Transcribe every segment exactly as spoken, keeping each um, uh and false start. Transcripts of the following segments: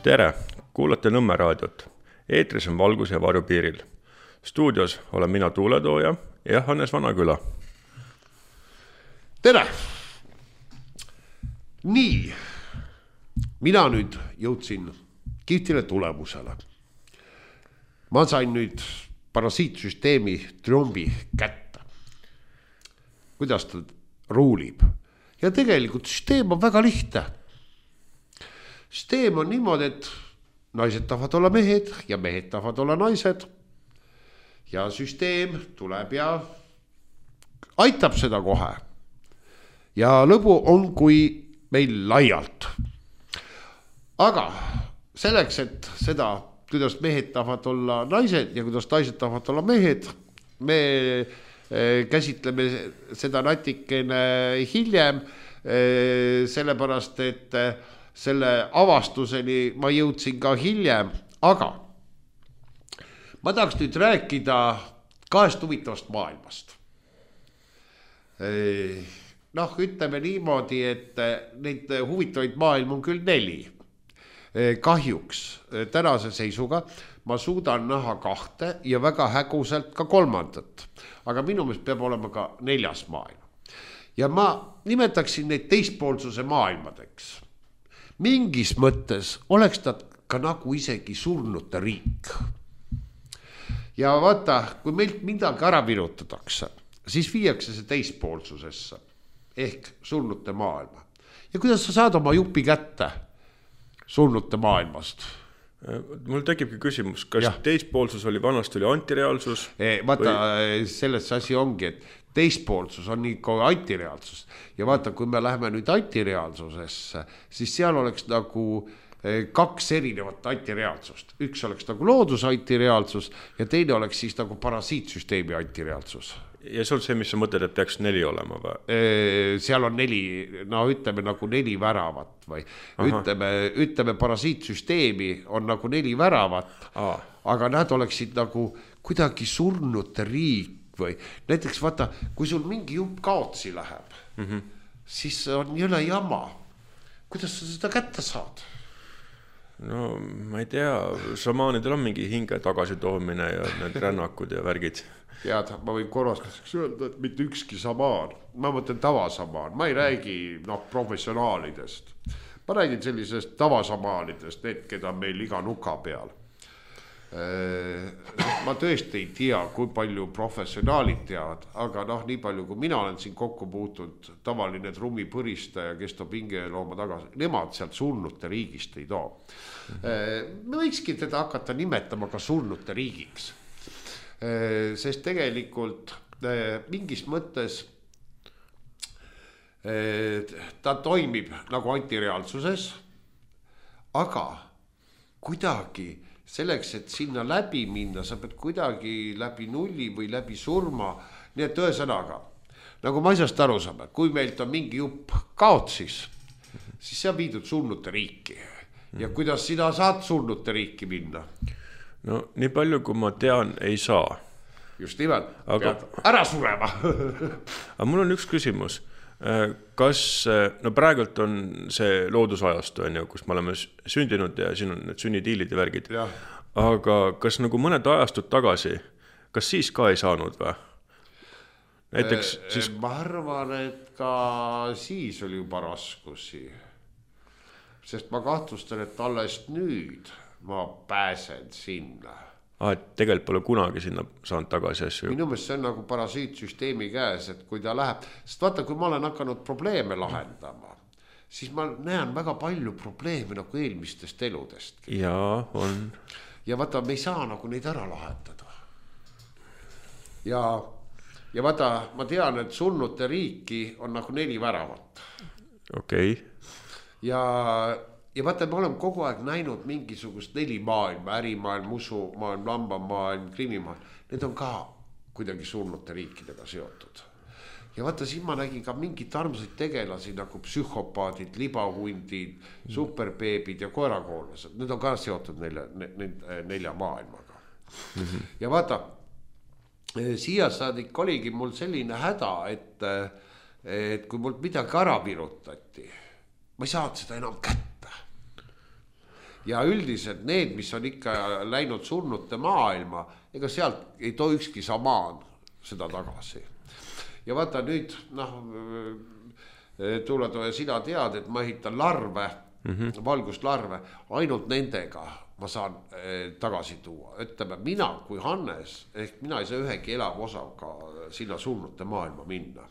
Tere, kuulate Nõmme raadiot. Eetris on Valgus ja Varju piiril. Stuudios olen mina tuuletooja ja Hannes Vanaküla. Tere! Nii, mina nüüd jõudsin kihvtile tulemusele. Ma sain nüüd parasiitsüsteemi trombi kätte. Kuidas ta ruulib? Ja tegelikult süsteem on väga lihtne. Süsteem on niimoodi, et naised tahavad olla mehed ja mehed tahavad olla naised. Ja süsteem tuleb ja aitab seda kohe. Ja lõbu on kui meil laialt. Aga selleks, et seda, kuidas mehed tahavad olla naised ja kuidas naised tahavad olla mehed, me käsitleme seda natikene hiljem, sellepärast, et selle avastuseni ma jõudsin ka hiljem, aga ma tahaks nüüd rääkida kahest huvitavast maailmast. Noh, ütleme niimoodi, et neid huvitavaid maailm on küll neli. Kahjuks tänase seisuga ma suudan näha kahte ja väga häguselt ka kolmandat. Aga minu meelest peab olema ka neljas maailm. Ja ma nimetaksin neid teispoolsuse maailmadeks. Mingis mõttes oleks ta ka nagu isegi surnute riik. Ja vaata, kui meilt midagi ära virutatakse, siis viiakse see teispoolsusesse ehk surnute maailma. Ja kuidas sa saad oma jupi kätte surnute maailmast? Mul tekibki küsimus, kas ja. Teispoolsus oli vanast oli antireaalsus? E, vaata, või... selles asi ongi, et teispoolsus on nii kui antireaalsus. Ja vaata, kui me läheme nüüd antireaalsusesse, siis seal oleks nagu kaks erinevat antireaalsust. Üks oleks nagu loodus antireaalsus ja teine oleks siis nagu parasiitsüsteemi antireaalsus. Ja see on see, mis sa mõtled, et peaks neli olema või? Seal on neli, no ütleme nagu neli väravat või ütleme, ütleme parasiitsüsteemi on nagu neli väravat, Aa. aga nad oleksid nagu kuidagi surnute riik või näiteks vaata, kui sul mingi jupp kaotsi läheb, mm-hmm. siis on jõle jama. Kuidas sa seda kätte saad? No ma ei tea, šamaanidel on mingi hinge tagasi toomine ja need rännakud ja värgid. Tead, ma võin korrastuseks öelda, et mitte ükski samaan. Ma mõtlen tavasamaan. Ma ei räägi no, professionaalidest. Ma räägin sellisest tavasamaanidest, need, keda meil iga nuka peal. Ma tõesti ei tea, kui palju professionaalid teavad, aga noh, nii palju, kui mina olen siin kokku puutunud, tavaline trummipõristaja, kes toob hingelooma tagasi, nemad sealt surnute riigist ei too. Me võikski teda hakata nimetama ka surnute riigiks. Sest tegelikult mingis mõttes ta toimib nagu antireaalsuses, aga kuidagi selleks, et sinna läbi minna, sa pead kuidagi läbi nulli või läbi surma, nii et ühesõnaga, nagu ma asjast aru saame, kui meilt on mingi jupp kaotsis, siis see on viidud surnute riiki. Ja kuidas sina saad surnute riiki minna? No nii palju, kui ma tean, ei saa. Just nimelt, aga... pead ära surema. Aga mul on üks küsimus. Kas, no praegult on see loodusajastu, kus me oleme sündinud ja siin on need sünnitiilid ja värgid. Ja. Aga kas nagu mõned ajastud tagasi, kas siis ka ei saanud või? Näiteks siis... Ma arvan, et ka siis oli juba raskusi. Sest ma kahtlustan, et alles nüüd ma pääsen sinna. Ah, et tegelikult pole kunagi sinna saanud tagasi asju. Minu meelest see on nagu parasiitsüsteemi käes, et kui ta läheb, sest vaata, kui ma olen hakanud probleeme lahendama, siis ma näen väga palju probleeme nagu eelmistest eludest. Jaa, on. Ja vaata, me ei saa nagu neid ära lahendada. Ja, ja vaata, ma tean, et surnute riiki on nagu neli väravat. Okei. Ja Ja vaata, me oleme kogu aeg näinud mingisugust neli maailma, ärimaailm, usumaailm, lambamaailm, krimimaailm. Need on ka kuidagi surnute riikidega seotud. Ja vaata, siin ma nägin ka mingid armsaid tegelasi nagu psühhopaadid, libahundid, mm. superbeebid ja koerakoollased. Need on ka seotud nelja, nelja maailmaga. Mm-hmm. Ja vaata, siia saadik oligi mul selline häda, et, et kui mul midagi ära virutati, ma ei saanud seda enam kätte. ja üldiselt need, mis on ikka läinud surnute maailma, ega sealt ei too ükski samaan seda tagasi. Ja vaata nüüd, noh, Tuuletoja, sina tead, et ma ehitan larve, mm-hmm. valguslarve, ainult nendega ma saan eh, tagasi tuua. Ütleme, mina kui Hannes, ehk mina ei saa ühegi elava osaga sinna surnute maailma minna.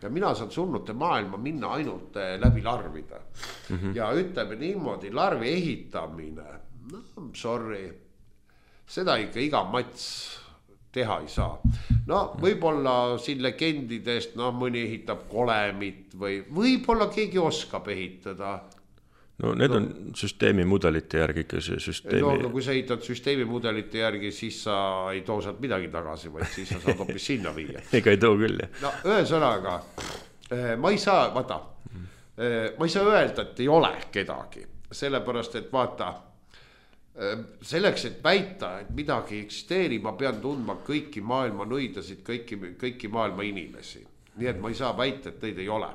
Ja mina saan surnute maailma minna ainult eh, läbi larvida. Mm-hmm. Ja ütleme niimoodi, larvi ehitamine, no sorry, seda ikka iga mats teha ei saa. No võib-olla siin legendidest, no mõni ehitab kolemit või võib-olla keegi oskab ehitada. No need no, on süsteemi mudelite järgi ikka see süsteemi. No, no kui sa ehitad süsteemi mudelite järgi, siis sa ei too sealt midagi tagasi, vaid siis sa saad hoopis sinna viia. Ega ei too küll, jah. No ühesõnaga, ma ei saa, vaata, ma ei saa öelda, et ei ole kedagi. Sellepärast, et vaata, selleks, et väita, et midagi eksisteeri, ma pean tundma kõiki maailma nõidasid, kõiki, kõiki maailma inimesi. Nii et ma ei saa väita, et neid ei ole.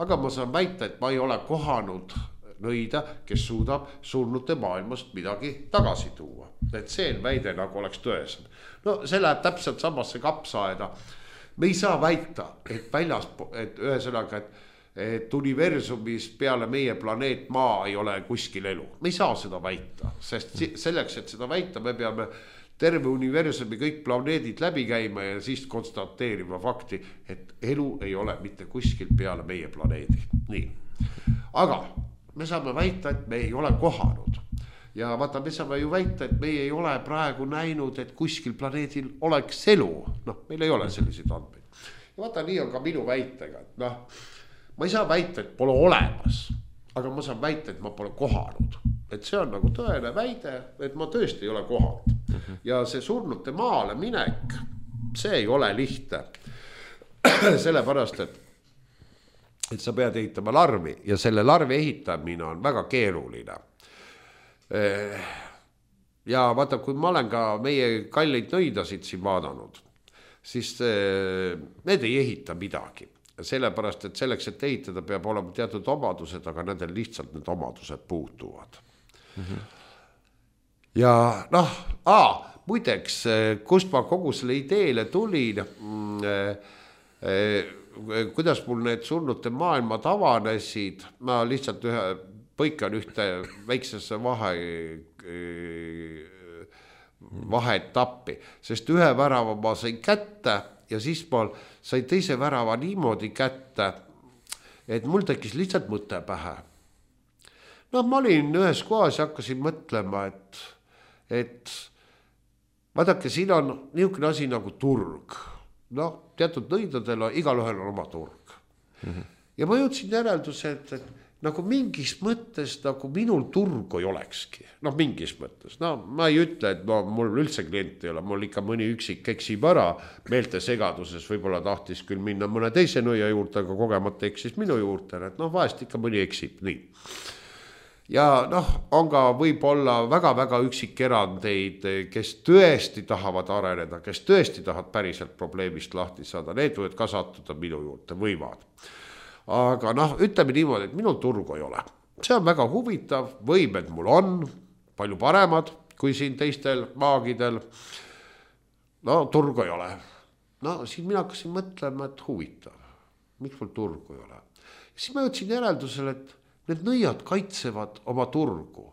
Aga ma saan väita, et ma ei ole kohanud nõida, kes suudab surnute maailmast midagi tagasi tuua. Et see väide nagu oleks tõesem. No see läheb täpselt samasse kapsaaeda. Me ei saa väita, et väljas, et ühesõnaga, et, et universumis peale meie planeet Maa ei ole kuskil elu. Me ei saa seda väita, sest selleks, et seda väita, me peame terve universumi kõik planeedid läbi käima ja siis konstateerima fakti, et elu ei ole mitte kuskil peale meie planeedi. Nii. Aga me saame väita, et me ei ole kohanud. Ja vaata, me saame ju väita, et me ei ole praegu näinud, et kuskil planeedil oleks elu. Noh, meil ei ole selliseid andmeid. Ja vaata, nii on ka minu väitega. Noh, ma ei saa väita, et pole olemas, aga ma saan väita, et ma pole kohanud. Et see on nagu tõene väide, et ma tõesti ei ole kohanud. Ja see surnute maale minek, see ei ole lihtne. Sellepärast, et et sa pead ehitama larvi ja selle larvi ehitamine on väga keeruline. Ja vaata, kui ma olen ka meie kalleid nõidasid siin vaadanud, siis need ei ehita midagi. Sellepärast, et selleks, et ehitada, peab olema teatud omadused, aga nendel lihtsalt need omadused puutuvad. Mm-hmm. Ja noh, aa, muideks, kust ma kogu selle ideele tulin, kuidas mul need surnute maailmad avanesid, ma lihtsalt ühe, põikan ühte väiksesse vahe, vahetappi, sest ühe värava ma sain kätte ja siis ma sain teise värava niimoodi kätte, et mul tekkis lihtsalt mõte pähe. No ma olin ühes kohas ja hakkasin mõtlema, et, et vaadake, siin on niisugune asi nagu turg. Noh, teatud nõidadel on, igal ühel on oma turg. Mm-hmm. Ja ma jõudsin järelduse, et, et nagu mingis mõttes nagu minul turgu ei olekski. Noh, mingis mõttes. No ma ei ütle, et no, mul üldse klient ei ole, mul ikka mõni üksik eksib ära meelte segaduses, võib-olla tahtis küll minna mõne teise nõia juurde, aga kogemata eksis minu juurde, et noh, vahest ikka mõni eksib, nii. Ja noh, on ka võib-olla väga-väga üksik erandeid, kes tõesti tahavad areneda, kes tõesti tahavad päriselt probleemist lahti saada, need võivad ka sattuda minu juurde, võivad. Aga noh, ütleme niimoodi, et minul turgu ei ole. See on väga huvitav, võimed mul on palju paremad kui siin teistel maagidel. No turgu ei ole. No siin mina hakkasin mõtlema, et huvitav, miks mul turgu ei ole. Ja siis ma jõudsin järeldusele, et need nõiad kaitsevad oma turgu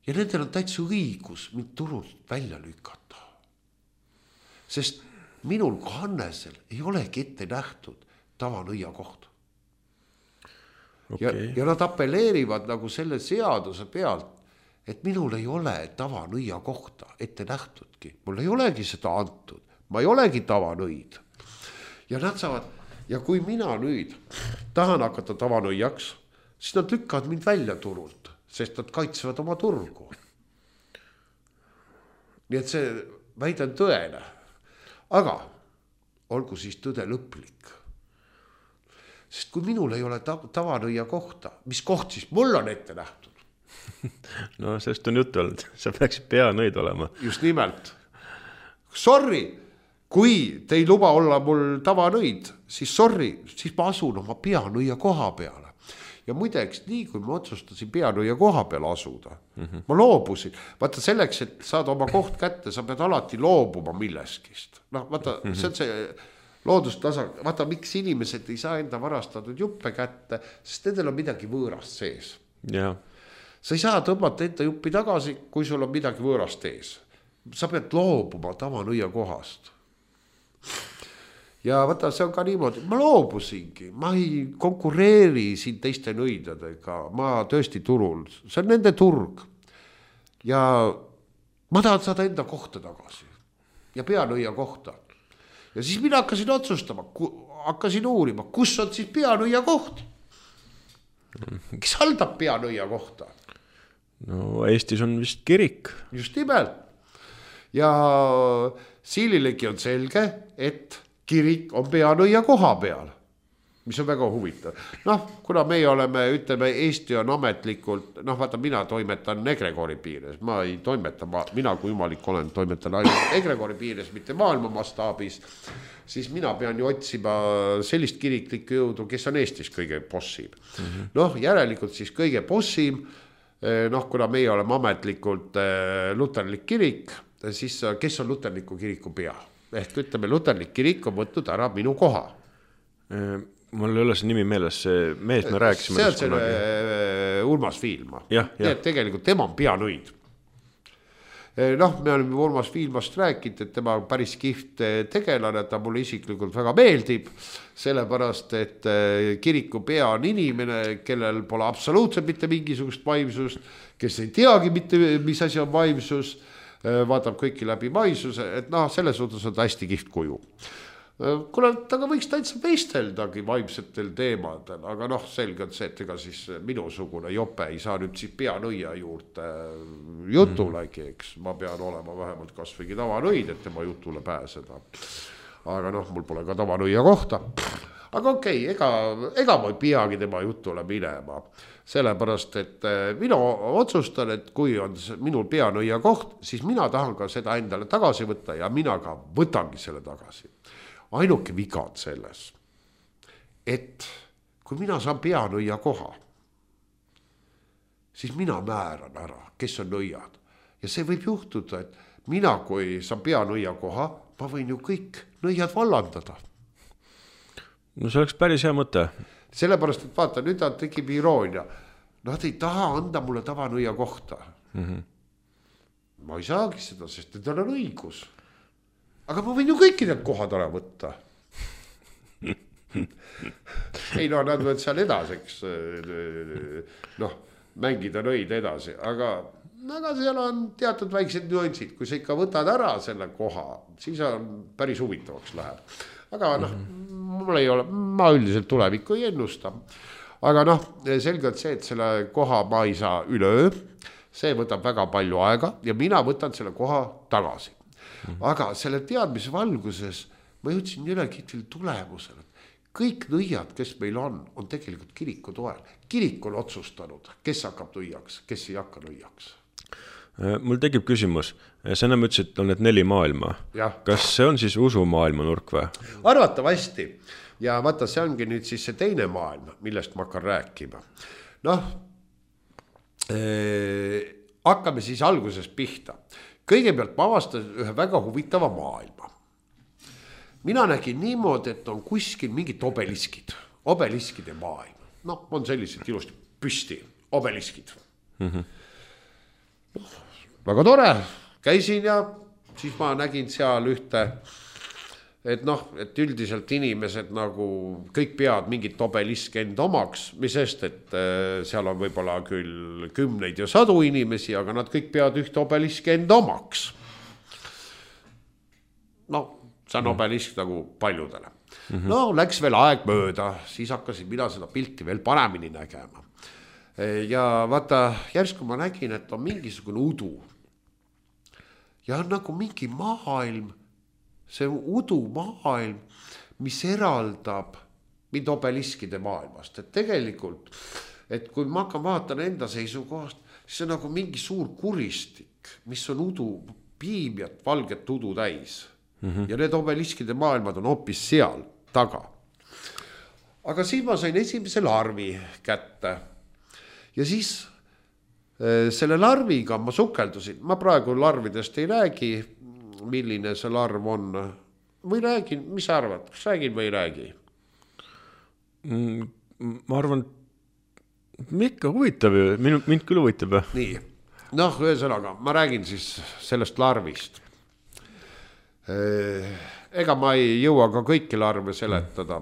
ja nendel on täitsa õigus mind turult välja lükata. Sest minul kui Hannesel ei olegi ette nähtud tavanõia koht. Okay. Ja, ja nad appelleerivad nagu selle seaduse pealt, et minul ei ole tavanõia kohta ette nähtudki. Mul ei olegi seda antud. Ma ei olegi tavanõid. Ja nad saavad, ja kui mina nüüd tahan hakata tavanõiaks, siis nad lükkavad mind välja turult, sest nad kaitsevad oma turgu. Nii et see väide on tõene. Aga olgu siis tõde lõplik. Sest kui minul ei ole tavanõia kohta, mis koht siis mul on ette nähtud? No sellest on juttu olnud, sa peaksid peanõid olema. Just nimelt. Sorry, kui te ei luba olla mul tavanõid, siis sorry, siis ma asun oma peanõia koha peale. ja muideks nii, kui ma otsustasin Peanõia koha peal asuda, mm -hmm. ma loobusin. Vaata selleks, et saada oma koht kätte, sa pead alati loobuma milleskist. Noh, vaata, mm -hmm. see on see loodustasa, vaata, miks inimesed ei saa enda varastatud juppe kätte, sest nendel on midagi võõrast sees. Ja. Sa ei saa tõmmata enda juppi tagasi, kui sul on midagi võõrast ees. Sa pead loobuma Tavanõia kohast. Ja vaata, see on ka niimoodi, ma loobusingi, ma ei konkureeri siin teiste nõidadega, ma tõesti turul, see on nende turg. Ja ma tahan saada enda kohta tagasi ja Peanõia kohta. Ja siis mina hakkasin otsustama, hakkasin uurima, kus on siis Peanõia koht? Kes haldab Peanõia kohta? No Eestis on vist kirik. Just nimelt. Ja Siililegi on selge, et kirik on Peanõia koha peal, mis on väga huvitav. Noh, kuna meie oleme, ütleme, Eesti on ametlikult, noh, vaata, mina toimetan Egregori piires, ma ei toimeta, ma, mina kui jumalik olen, toimetan ainult Egregori piires, mitte maailma mastaabis, siis mina pean ju otsima sellist kiriklikku jõudu, kes on Eestis kõige bossim. Mm -hmm. Noh, järelikult siis kõige bossim, noh, kuna meie oleme ametlikult luterlik kirik, siis kes on luterliku kiriku pea? Ehk ütleme, luterlik kirik on võtnud ära minu koha. Mul ei ole see nimi meeles, see mees me rääkisime. See on selle Urmas Viilma. Tegelikult tema on Peanõid. Noh, me oleme Urmas Viilmast rääkinud, et tema on päris kiht tegelane, ta mulle isiklikult väga meeldib, sellepärast, et kiriku pea on inimene, kellel pole absoluutselt mitte mingisugust vaimsust, kes ei teagi mitte, mis asi on vaimsus, vaatab kõiki läbi vaimsuse, et noh, selles suhtes on ta hästi kiht kuju. Kuna taga võiks täitsa veisteldagi vaimsetel teemadel, aga noh, selge on see, et ega siis minusugune jope ei saa nüüd siis Peanõia juurde jutulegi, eks ma pean olema vähemalt kas võigi Tavanõid, et tema jutule pääseda. Aga noh, mul pole ka Tavanõia kohta. Aga okei, ega, ega ma ei peagi tema jutule minema, sellepärast, et mina otsustan, et kui on minul Peanõia koht, siis mina tahan ka seda endale tagasi võtta ja mina ka võtangi selle tagasi. Ainuke viga on selles, et kui mina saan Peanõia koha, siis mina määran ära, kes on nõiad. Ja see võib juhtuda, et mina, kui saan Peanõia koha, ma võin ju kõik nõiad vallandada. No see oleks päris hea mõte. Sellepärast, et vaata, nüüd nad tekib iroonia. Nad ei taha anda mulle Tavanõia kohta. Mm-hmm. Ma ei saagi seda, sest need on õigus. Aga ma võin ju kõiki need kohad ära võtta. Ei no, nad võid seal edaseks noh, mängida nõid edasi, aga, aga seal on teatud väiksed nüansid, kui sa ikka võtad ära selle koha, siis on päris huvitavaks läheb. Aga noh, mul ei ole, ma üldiselt tulevikku ei ennusta. Aga noh, selgelt see, et selle koha ma ei saa üleöö, see võtab väga palju aega ja mina võtan selle koha tagasi. Aga selle teadmise valguses ma jõudsin üle kitvil tulemusele. Kõik nõiad, kes meil on, on tegelikult kiriku toel. Kirik on otsustanud, kes hakkab nõiaks, kes ei hakka nõiaks. Mul tekib küsimus. Sa enam ütlesid, et on need neli maailma. Ja. Kas see on siis usumaailma nurk või? Arvatavasti. Ja vaata, see ongi nüüd siis see teine maailm, millest ma hakkan rääkima. Noh, eh, hakkame siis alguses pihta. Kõigepealt ma avastan ühe väga huvitava maailma. Mina nägin niimoodi, et on kuskil mingid obeliskid, obeliskide maailm. Noh, on sellised ilusti püsti, obeliskid. Mm-hmm. No, väga tore, käisin ja siis ma nägin seal ühte, et noh, et üldiselt inimesed nagu kõik peavad mingit obeliske enda omaks, mis sest, et seal on võib-olla küll kümneid ja sadu inimesi, aga nad kõik peavad ühte obeliske enda omaks. No, see on obelisk nagu paljudele. Mm-hmm. No, läks veel aeg mööda, siis hakkasin mina seda pilti veel paremini nägema. Ja vaata, järsku ma nägin, et on mingisugune udu. Ja on nagu mingi maailm, see udu maailm, mis eraldab mind obeliskide maailmast. Et tegelikult, et kui ma hakkan vaatan enda seisukohast, siis on nagu mingi suur kuristik, mis on udu, piimjat, valget udu täis. Mm-hmm. Ja need obeliskide maailmad on hoopis seal taga. aga siis ma sain esimese larvi kätte ja siis selle larviga ma sukeldusin, ma praegu larvidest ei räägi, milline see larv on või räägin, mis sa arvad, kas räägin või ei räägi? Ma arvan, ikka huvitav ju, mind, mind küll huvitab. Nii, noh, ühesõnaga, ma räägin siis sellest larvist. Ega ma ei jõua ka kõiki larve seletada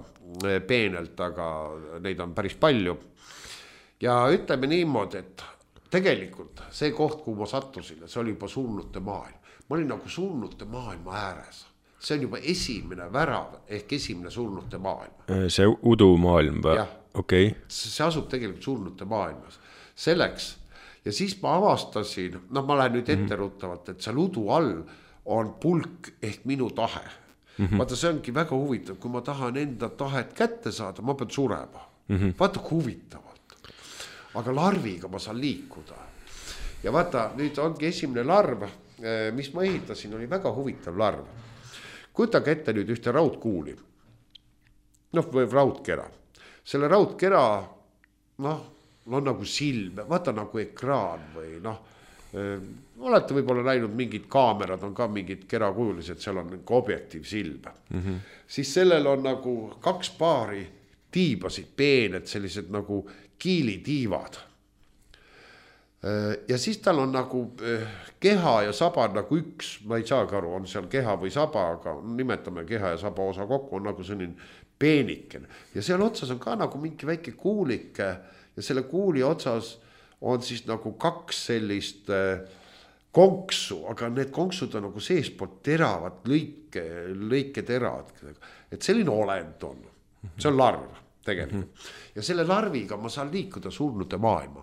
peenelt, aga neid on päris palju. Ja ütleme niimoodi, et tegelikult see koht, kuhu ma sattusin, see oli juba surnute maailm. Ma olin nagu surnute maailma ääres. See on juba esimene värav ehk esimene surnute maailm. See udu maailm või? Okay. See asub tegelikult surnute maailmas. Selleks. Ja siis ma avastasin, noh ma lähen nüüd etteruttavalt, et seal udu all on pulk ehk minu tahe. Mm-hmm. Vaata, see ongi väga huvitav, kui ma tahan enda tahet kätte saada, ma pean surema. Mm-hmm. Vaata, kui huvitavalt. Aga larviga ma saan liikuda. Ja vaata, nüüd ongi esimene larv, mis ma ehitasin, oli väga huvitav larv. Kujutage ette nüüd ühte raudkuuli. Noh, või raudkera. Selle raudkera, noh, on nagu silm, vaata nagu ekraan või noh, olete võib-olla näinud mingid kaamerad, on ka mingid kerakujulised, seal on nagu objektiiv silm. Mm-hmm. Siis sellel on nagu kaks paari tiibasid, peened, sellised nagu kiilitiivad. Ja siis tal on nagu keha ja saba nagu üks, ma ei saagi aru, on seal keha või saba, aga nimetame keha ja saba osa kokku, on nagu selline peeniken. Ja seal otsas on ka nagu mingi väike kuulike ja selle kuuli otsas on siis nagu kaks sellist konksu, aga need konksud on nagu seespoolt teravad, lõike, lõike teravad. Et selline olend on, see on larv. Tegelikult. Ja selle larviga ma saan liikuda surnude maailma.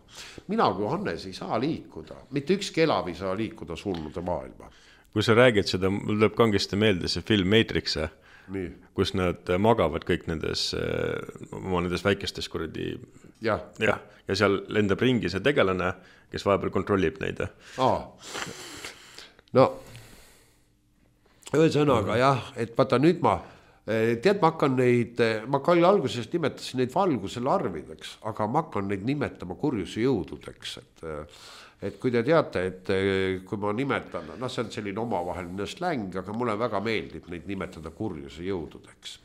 Mina kui Hannes ei saa liikuda, mitte üks kelav ei saa liikuda surnude maailma. Kui sa räägid seda, mul tuleb kangesti meelde see film Matrix, Nii. Kus nad magavad kõik nendes, oma nendes väikestes kuradi ja. Ja, ja seal lendab ringi see tegelane, kes vahepeal kontrollib neid. Aa. No, ühesõnaga jah, et vaata nüüd ma tead, ma hakkan neid, ma kalli alguses nimetasin neid valguse larvideks, aga ma hakkan neid nimetama kurjuse jõududeks. Et, et kui te teate, et kui ma nimetan, noh see on selline omavaheline släng, aga mulle väga meeldib neid nimetada kurjuse jõududeks.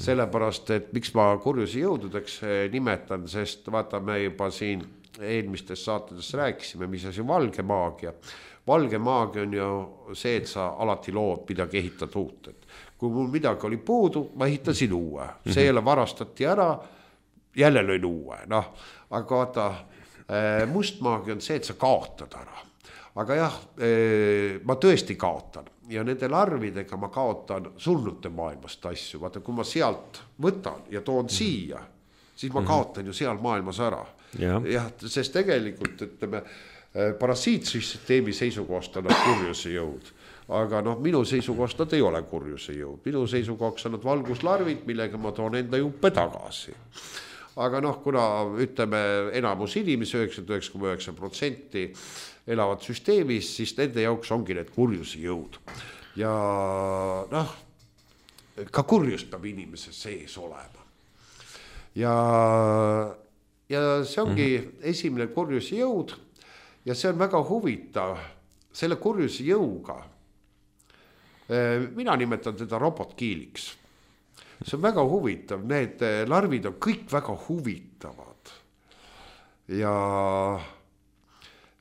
Sellepärast, et miks ma kurjuse jõududeks nimetan, sest vaata me juba siin eelmistes saatedes rääkisime, mis asi valge maagia. Valge maagia on ju see, et sa alati lood midagi ehitad uut, et kui mul midagi oli puudu, ma ehitasin uue. See jälle varastati ära, jälle lõin uue. Noh, aga vaata, mustmaagia on see, et sa kaotad ära. Aga jah, ma tõesti kaotan. Ja nende larvidega ma kaotan surnute maailmast asju. Vaata, kui ma sealt võtan ja toon siia, siis ma kaotan ju seal maailmas ära. Ja, ja sest tegelikult, ütleme, parasiitsüsteemi seisukohast on nad kurjuse jõud. Aga noh, minu seisukohast nad ei ole kurjuse jõud. Minu seisukohaks on nad valguslarvid, millega ma toon enda juppe tagasi. Aga noh, kuna ütleme enamus inimesi, üheksakümmend üheksa koma üheksa protsenti elavad süsteemis, siis nende jaoks ongi need kurjuse jõud. Ja noh, ka kurjus peab inimese sees olema. Ja, ja see ongi esimene kurjuse jõud ja see on väga huvitav. Selle kurjuse jõuga mina nimetan teda robotkiiliks. See on väga huvitav, need larvid on kõik väga huvitavad. Ja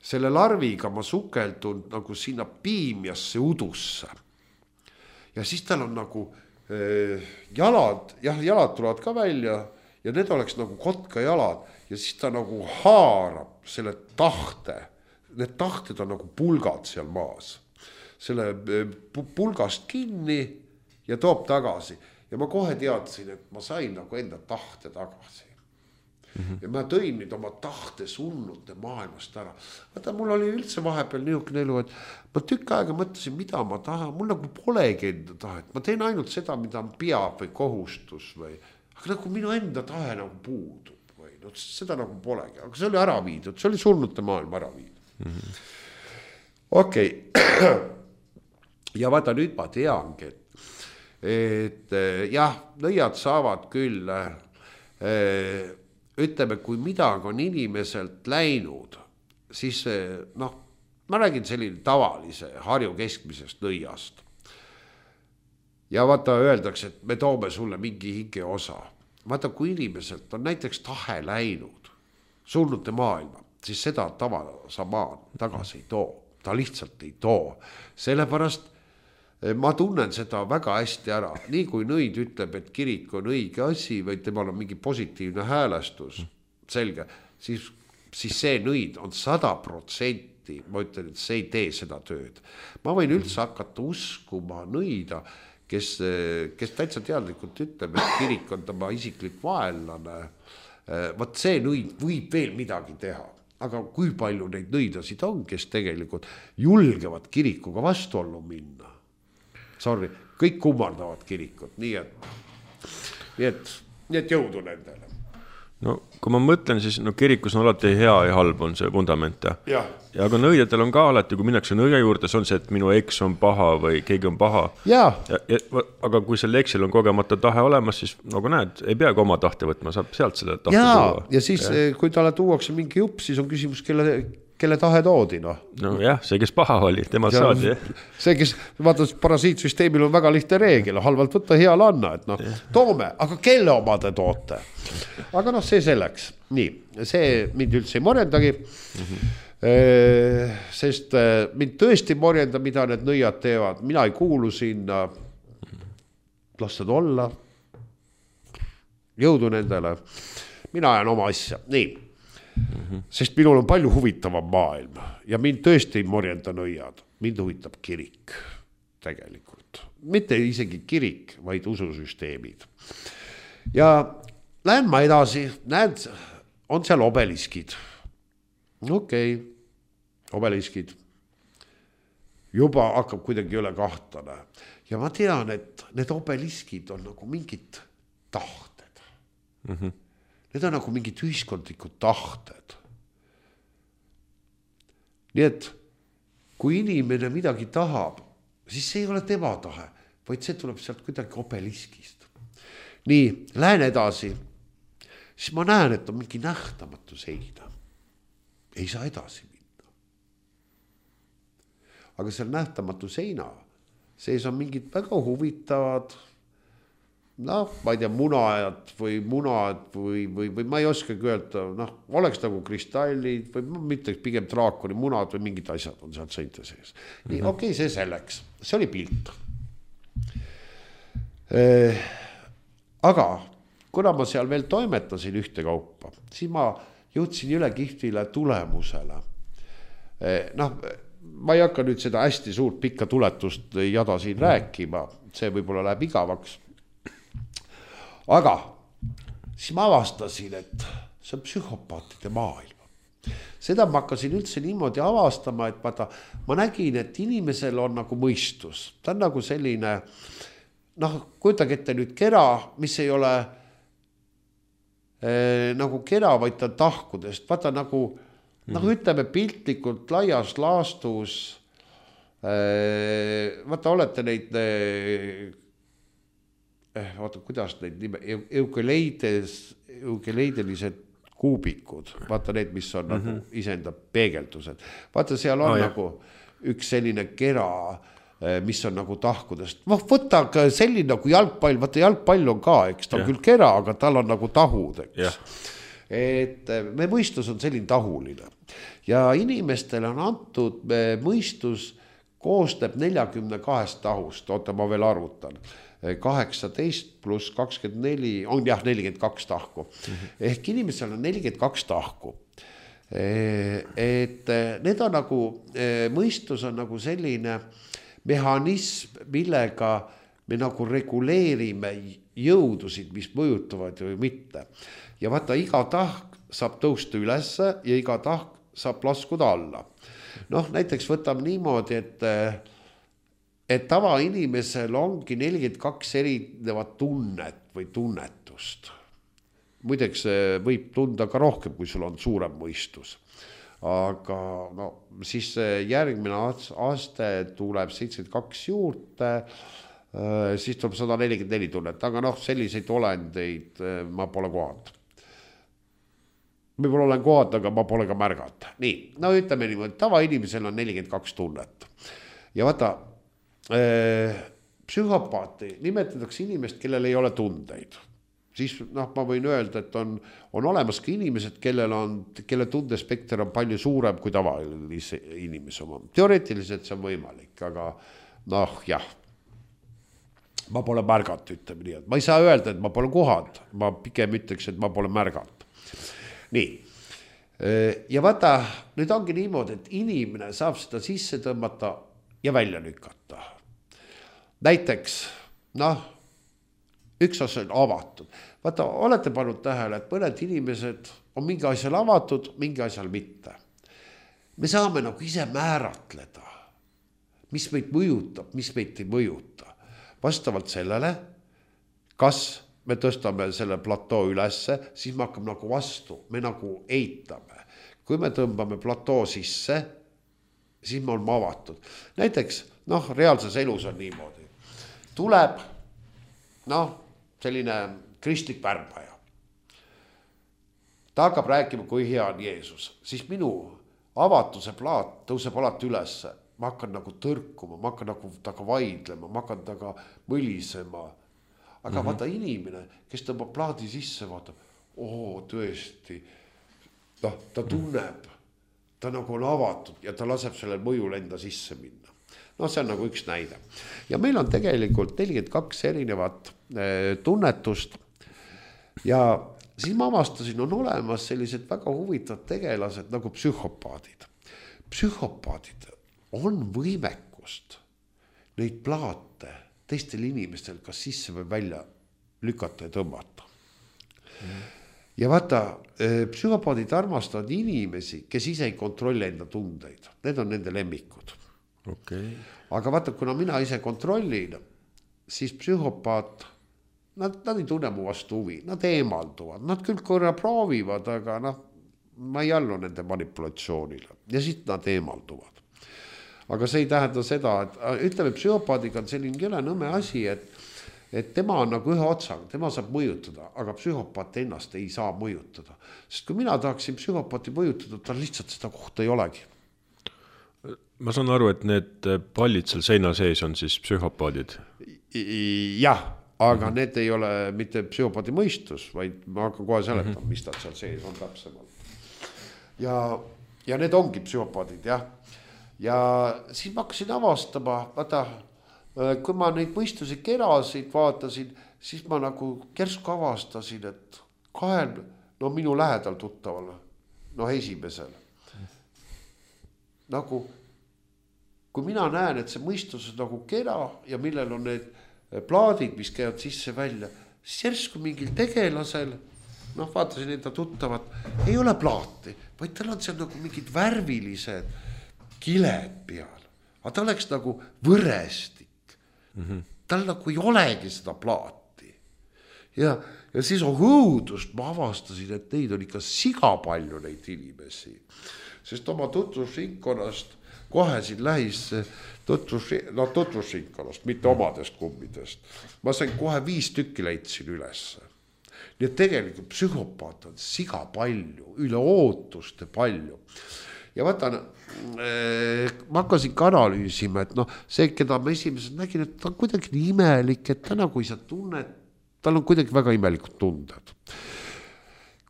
selle larviga ma sukeldun nagu sinna piimjasse udusse. Ja siis tal on nagu jalad, jah, jalad tulevad ka välja ja need oleks nagu kotka jalad ja siis ta nagu haarab selle tahte. Need tahted on nagu pulgad seal maas. Selle pulgast kinni ja toob tagasi. Ja ma kohe teadsin, et ma sain nagu enda tahte tagasi. Mm-hmm. Ja ma tõin nüüd oma tahte sunnute maailmast ära. Vaata, mul oli üldse vahepeal niisugune elu, et ma tükk aega mõtlesin, mida ma tahan. Mul nagu polegi enda tahet. Ma teen ainult seda, mida on peab või kohustus. Või. Aga nagu minu enda tahe nagu puudub. Või. No, seda nagu polegi. Aga see oli ära viidud. See oli surnute maailma ära viidud. Mm-hmm. Okei. Okay. Ja vaata, nüüd ma teangi, et, et jah, nõiad saavad küll ütleme, kui midagi on inimeselt läinud, siis noh, ma räägin selline tavalise Harju keskmisest nõiast. Ja vaata öeldakse, et me toome sulle mingi hinge osa. Vaata, kui inimeselt on näiteks tahe läinud surnute maailma, siis seda tavasa maan tagasi ei too. Ta lihtsalt ei too. Sellepärast ma tunnen seda väga hästi ära. Nii kui nõid ütleb, et kirik on õige asi või temal on mingi positiivne häälestus, selge, siis, siis see nõid on sada protsenti, ma ütlen, et see ei tee seda tööd. Ma võin üldse hakata uskuma nõida, kes, kes täitsa teadlikult ütleb, et kirik on tema isiklik vaenlane. Võt see nõid võib veel midagi teha. Aga kui palju neid nõidasid on, kes tegelikult julgevad kirikuga vastuollu minna? Sorry, kõik kummardavad kirikut, nii et, nii et, nii et jõudu nendele. No kui ma mõtlen, siis no, kirikus on alati hea ja halb on see fundament. Ja, ja aga nõijatel on ka alati, kui minnakse nõia juurde, see on see, et minu eks on paha või keegi on paha. Ja. Ja, ja, aga kui selle eksil on kogemata tahe olemas, siis nagu näed, ei peagi oma tahte võtma, saab sealt selle tahte ja, tuua. Ja siis, ja. kui talle tuuakse mingi jupp, siis on küsimus, kelle, kelle tahe toodi. No, no jah, see, kes paha oli, tema ja, saadi. See, kes, vaata, parasiitsüsteemil on väga lihtne reegel, halvalt võtta, heal anna, et noh, toome, aga kelle oma te toote? Aga noh, see selleks. Nii, see mind üldse ei morjendagi, mm-hmm. e, sest mind tõesti morjenda, mida need nõiad teevad. Mina ei kuulu sinna, lasted olla, jõudu nendele, mina ajan oma asja. Nii, mm-hmm. sest minul on palju huvitavam maailm ja mind tõesti ei morjenda nõiad. Mind huvitab kirik tegelikult. Mitte isegi kirik, vaid ususüsteemid. Ja lähen ma edasi, näed, on seal obeliskid. Okei, okay. Obeliskid. Juba hakkab kuidagi üle kahtlane. Ja ma tean, et need obeliskid on nagu mingid tahted. Mm-hmm. Need on nagu mingid ühiskondlikud tahted. Nii et kui inimene midagi tahab, siis see ei ole tema tahe, vaid see tuleb sealt kuidagi obeliskist. Nii, lähen edasi. Siis ma näen, et on mingi nähtamatu seina. Ei saa edasi minna. Aga seal nähtamatu seina sees on mingid väga huvitavad, noh, ma ei tea, munajad või munad või, või, või ma ei oskagi öelda, noh, oleks nagu kristallid või mitte pigem draakoni munad või mingid asjad on seal seinte sees. Nii, mm-hmm. okei, okay, see selleks. See oli pilt. Eh, aga kuna ma seal veel toimetasin ühte kaupa, siis ma jõudsin üle kihvile tulemusele. Noh, ma ei hakka nüüd seda hästi suurt pikka tuletust jada siin rääkima, see võib-olla läheb igavaks. Aga siis ma avastasin, et see on psühhopaatide maailm. Seda ma hakkasin üldse niimoodi avastama, et vaata, ma nägin, et inimesel on nagu mõistus. Ta on nagu selline, noh, kujutage ette nüüd kera, mis ei ole Eh, nagu kera, vaid ta tahkudest. Vaata nagu, mm. nagu ütleme piltlikult laias laastus. Eh, vaata, olete neid, eh, vaata, kuidas neid nime, eukeleides, eukeleidelised kuubikud. Vaata need, mis on mm-hmm. nagu iseenda peegeldused. Vaata, seal on oh, nagu üks selline kera, mis on nagu tahkudest. Võtta selline nagu jalgpall, vaata jalgpall on ka, eks ta on yeah. küll kera, aga tal on nagu tahud, eks. Yeah. Et me mõistus on selline tahuline. Ja inimestele on antud, mõistus koostab neljakümne kahest tahust, oota ma veel arvutan. kaheksateist pluss kakskümmend neli, on jah nelikümmend kaks tahku. Mm-hmm. Ehk inimesel on nelikümmend kaks tahku. Et need on nagu, mõistus on nagu selline mehhanism, millega me nagu reguleerime jõudusid, mis mõjutavad või mitte. Ja vaata, iga tahk saab tõusta ülesse ja iga tahk saab laskuda alla. Noh, näiteks võtame niimoodi, et, et tava inimesel ongi nelikümmend kaks erinevat tunnet või tunnetust. Muideks võib tunda ka rohkem, kui sul on suurem mõistus. Aga no, siis järgmine aste tuleb seitsekümmend kaks juurde siis tuleb sada nelikümmend neli tunnet, aga noh, selliseid olendeid ma pole kohanud. Võib-olla olen kohanud, aga ma pole ka märganud. Nii, no ütleme niimoodi, tavainimesel on nelikümmend kaks tunnet. Ja vaata, äh, psühhopaati nimetatakse inimest, kellel ei ole tundeid. Siis noh, ma võin öelda, et on, on olemas ka inimesed, kellel on, kelle tundespekter on palju suurem kui tavalise inimese oma. Teoreetiliselt see on võimalik, aga noh, jah, ma pole märganud, ütleme nii. Ma ei saa öelda, et ma pole kohanud, ma pigem ütleks, et ma pole märganud. Nii, ja vaata, nüüd ongi niimoodi, et inimene saab seda sisse tõmmata ja välja lükata. Näiteks, noh, üks osa on avatud. Vaata, olete pannud tähele, et mõned inimesed on mingi asjal avatud, mingi asjal mitte. Me saame nagu ise määratleda, mis meid mõjutab, mis meid ei mõjuta. Vastavalt sellele, kas me tõstame selle platoo ülesse, siis me hakkame nagu vastu, me nagu eitame. Kui me tõmbame platoo sisse, siis me oleme avatud. Näiteks, noh, reaalses elus on niimoodi. Tuleb, noh, selline kristlik värbaja. Ta hakkab rääkima, kui hea on Jeesus. Siis minu avatuse plaat tõuseb alati ülesse. Ma hakkan nagu tõrkuma, ma hakkan nagu taga vaidlema, ma hakkan taga mõlisema. Aga mm-hmm. vaata inimene, kes tõmbab plaadi sisse, vaatab, oo, tõesti, noh, ta tunneb, ta nagu on avatud ja ta laseb sellel mõjul enda sisse minna. No see on nagu üks näide. Ja meil on tegelikult nelikümmend kaks erinevat eh, tunnetust ja siis ma avastasin, on olemas sellised väga huvitavad tegelased nagu psühhopaadid. Psühhopaadid on võimekust neid plaate teistel inimestel kas sisse või välja lükata ja tõmmata. Mm. Ja vaata, psühhopaadid armastavad inimesi, kes ise ei kontrolli enda tundeid. Need on nende lemmikud. Okay. Aga vaata, kuna mina ise kontrollin, siis psühhopaat, nad, nad ei tunne mu vastu huvi, nad eemalduvad, nad küll korra proovivad, aga noh, ma ei allu nende manipulatsioonile ja siis nad eemalduvad. Aga see ei tähenda seda, et ütleme, psühhopaadiga on selline jõle nõme asi, et, et tema on nagu ühe otsaga, tema saab mõjutada, aga psühhopaat ennast ei saa mõjutada. Sest kui mina tahaksin psühhopaati mõjutada, tal lihtsalt seda kohta ei olegi. Ma saan aru, et need pallid seal seina sees on siis psühhopaadid? Jah, aga mm-hmm. need ei ole mitte psühhopaadi mõistus, vaid ma hakkan kohe seletama, mm-hmm. mis nad seal sees on täpsemalt. Ja, ja need ongi psühhopaadid, jah. Ja siis ma hakkasin avastama, vaata, kui ma neid mõistusi kerasid vaatasin, siis ma nagu kersku avastasin, et kahel, no minu lähedal tuttaval, no esimesel. Nagu, kui mina näen, et see mõistus on nagu kera ja millel on need plaadid, mis käivad sisse välja, siis järsku mingil tegelasel, noh, vaatasin enda tuttavat, ei ole plaati, vaid tal on seal nagu mingid värvilised kiled peal, aga ta oleks nagu võrestik. Mm-hmm. Tal nagu ei olegi seda plaati. Ja, ja siis on hõudust, ma avastasin, et neid on ikka siga palju neid inimesi. Sest oma tutvusringkonnast kohe siin lähis tutvus, no tutvusringkonnast, mitte omadest kummidest. Ma sain kohe viis tükki leidsin ülesse. Nii et tegelikult psühhopaat on siga palju, üle ootuste palju. Ja vaata, ma hakkasin ka analüüsima, et noh, see, keda ma esimesed nägin, et ta on kuidagi nii imelik, et ta nagu ei saa tunne, tal on kuidagi väga imelikud tunded.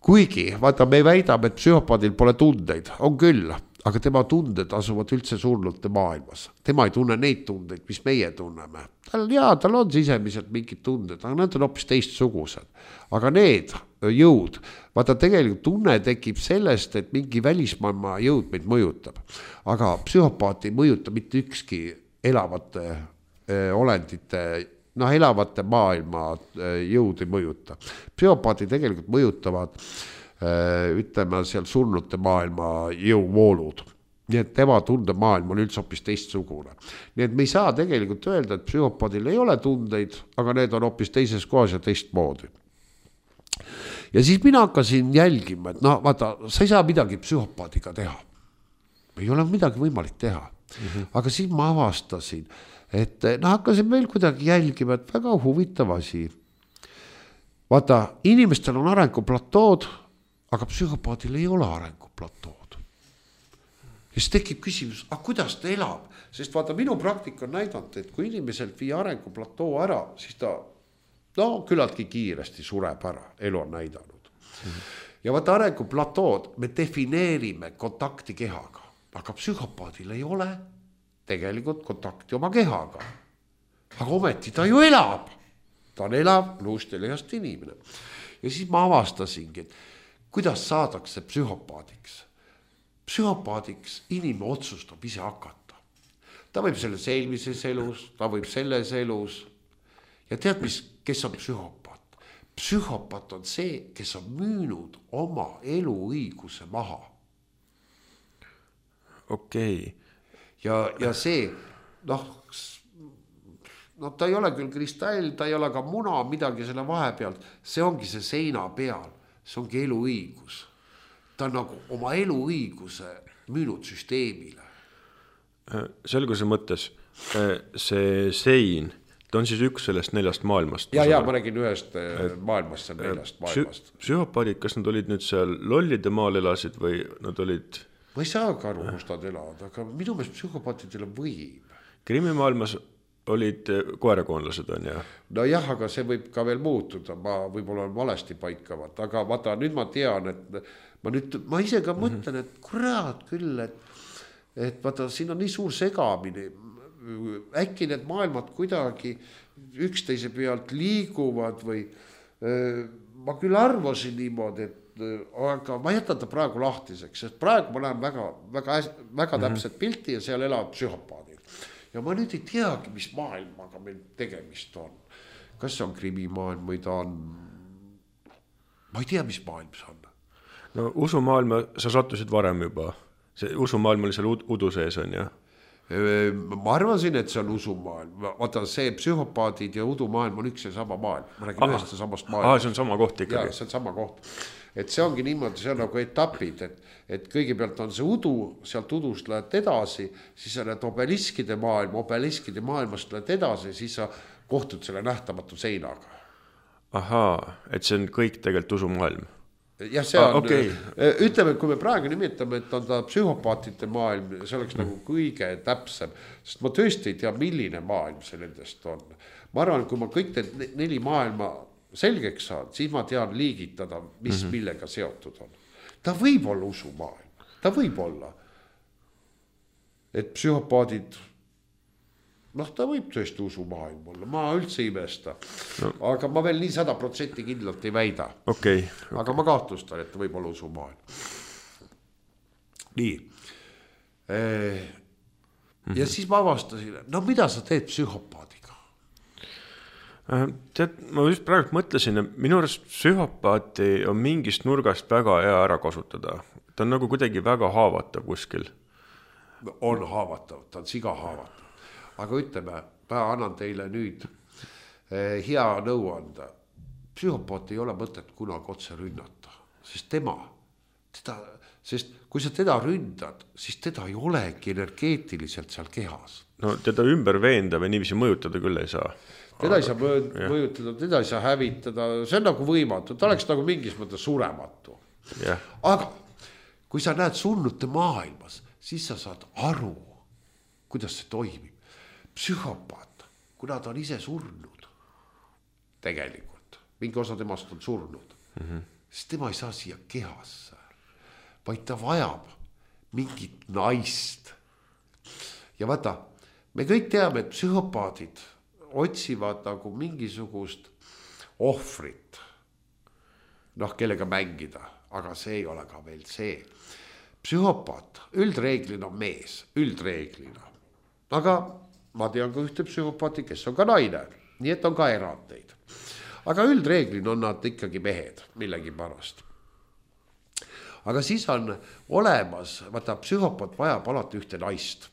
Kuigi, vaata, me väidame, et psühhopaadil pole tundeid, on küll, aga tema tunded asuvad üldse surnute maailmas. Tema ei tunne neid tundeid, mis meie tunneme. Tal, jaa, tal on sisemiselt mingid tunded, aga need on hoopis teistsugused. Aga need jõud, vaata tegelikult tunne tekib sellest, et mingi välismaailma jõud meid mõjutab. Aga psühhopaat ei mõjuta mitte ükski elavate äh, olendite, noh, elavate maailma äh, jõud ei mõjuta. Psühhopaati tegelikult mõjutavad äh, ütleme seal surnute maailma jõuvoolud. Nii et tema tundemaailm on üldse hoopis teistsugune. Nii et me ei saa tegelikult öelda, et psühhopaadil ei ole tundeid, aga need on hoopis teises kohas ja teistmoodi. Ja siis mina hakkasin jälgima, et no vaata, sa ei saa midagi psühhopaadiga teha. Ei ole midagi võimalik teha. Mm-hmm. Aga siis ma avastasin, et noh, hakkasin veel kuidagi jälgima, et väga huvitav asi. Vaata, inimestel on arenguplatood, aga psühhopaadil ei ole arenguplatood. Ja siis tekib küsimus, aga kuidas ta elab? Sest vaata, minu praktika on näidanud, et kui inimeselt viia arenguplatoo ära, siis ta no küllaltki kiiresti sureb ära, elu on näidanud. Mm-hmm. Ja vaata, arenguplatood me defineerime kontakti kehaga, aga psühhopaadil ei ole tegelikult kontakti oma kehaga. Aga ometi ta ju elab. Ta on elav luust ja lihast inimene. Ja siis ma avastasingi, et kuidas saadakse psühhopaadiks. Psühhopaadiks inimene otsustab ise hakata. Ta võib selles eelmises elus, ta võib selles elus. Ja tead, mis, kes on psühhopaat? Psühhopaat on see, kes on müünud oma eluõiguse maha. Okei. Okay. Ja, ja see, noh, no ta ei ole küll kristall, ta ei ole ka muna, midagi selle vahepealt. See ongi see seina peal, see ongi eluõigus. Ta on nagu oma eluõiguse müünud süsteemile. Selguse mõttes, see sein, ta on siis üks sellest neljast maailmast. Ja, ja, ma räägin ühest maailmast, see neljast maailmast. Psühhopaadid, kas nad olid nüüd seal lollide maal elasid või nad olid... Ma ei saa ka aru, kus nad elavad, aga minu meelest psühhopaatidele võib. Krimimaailmas olid koerakoonlased on, jah? No jah, aga see võib ka veel muutuda, ma võib-olla olen valesti paikavat, aga vaata, nüüd ma tean, et ma nüüd, ma ise ka mm-hmm. mõtlen, et kurat küll, et, et vaata, siin on nii suur segamine, äkki need maailmad kuidagi üksteise pealt liiguvad või äh, ma küll arvasin niimoodi, et aga ma jätan ta praegu lahtiseks, sest praegu ma näen väga, väga, väga täpset pilti ja seal elavad psühhopaadid. Ja ma nüüd ei teagi, mis maailmaga meil tegemist on. Kas see on krimimaailm või ta on... Ma ei tea, mis maailm see on. No usumaailma sa sattusid varem juba. See usumaailm oli seal udu sees on, jah? Ma arvasin, et see on usumaailm. Vaata, see psühhopaadid ja udumaailm on üks ja sama maailm. Ma räägin ühest ja samast maailm. Aa, see on sama koht ikkagi. Ja, see on sama koht. Et see ongi niimoodi, see on nagu etapid, et, et kõigepealt on see udu, sealt udust lähed edasi, siis sa lähed obeliskide maailm, obeliskide maailmast lähed edasi, siis sa kohtud selle nähtamatu seinaga. Ahaa, et see on kõik tegelikult usumaailm. jah, see on ah,, okay. Ütleme, kui me praegu nimetame, et on ta psühhopaatide maailm, see oleks mm. nagu kõige täpsem, sest ma tõesti ei tea, milline maailm see nendest on. Ma arvan, kui ma kõik need neli maailma selgeks saan, siis ma tean liigitada, mis mm-hmm. millega seotud on. Ta võib olla usumaailm, ta võib olla, et psühhopaadid, noh, ta võib tõesti usumaailm olla, ma üldse imesta, no. Aga ma veel nii sada protsenti kindlalt ei väida. Okay, okay. Aga ma kahtlustan, et ta võib olla usumaailm. Nii. E, mm-hmm. Ja siis ma avastasin, no mida sa teed psühhopaadiga? Tead, ma just praegu mõtlesin, et minu arust psühhopaati on mingist nurgast väga hea ära kasutada. Ta on nagu kuidagi väga haavatav kuskil. On haavatav, ta on siga haavatav. Aga ütleme, ma annan teile nüüd eh, hea nõu anda. Psühhopaat ei ole mõtet kunagi otse rünnata, sest tema, teda, sest kui sa teda ründad, siis teda ei olegi energeetiliselt seal kehas. No teda ümber veenda või niiviisi mõjutada küll ei saa. Teda ei saa mõjutada, teda ei saa hävitada, see on nagu võimatu, ta oleks nagu mingis mõttes surematu. Yeah. Aga kui sa näed surnute maailmas, siis sa saad aru, kuidas see toimib. Psühhopaat, kuna ta on ise surnud, tegelikult, mingi osa temast on surnud, mm-hmm. siis tema ei saa siia kehasse, vaid ta vajab mingit naist. Ja vaata, me kõik teame, et psühhopaadid otsivad nagu mingisugust ohvrit, noh, kellega mängida, aga see ei ole ka veel see. Psühhopaat üldreeglina on mees, üldreeglina. Aga ma tean ka ühte psühhopaati, kes on ka naine, nii et on ka erandeid. Aga üldreeglina on nad ikkagi mehed millegi pärast. Aga siis on olemas, vaata, psühhopaat vajab alati ühte naist.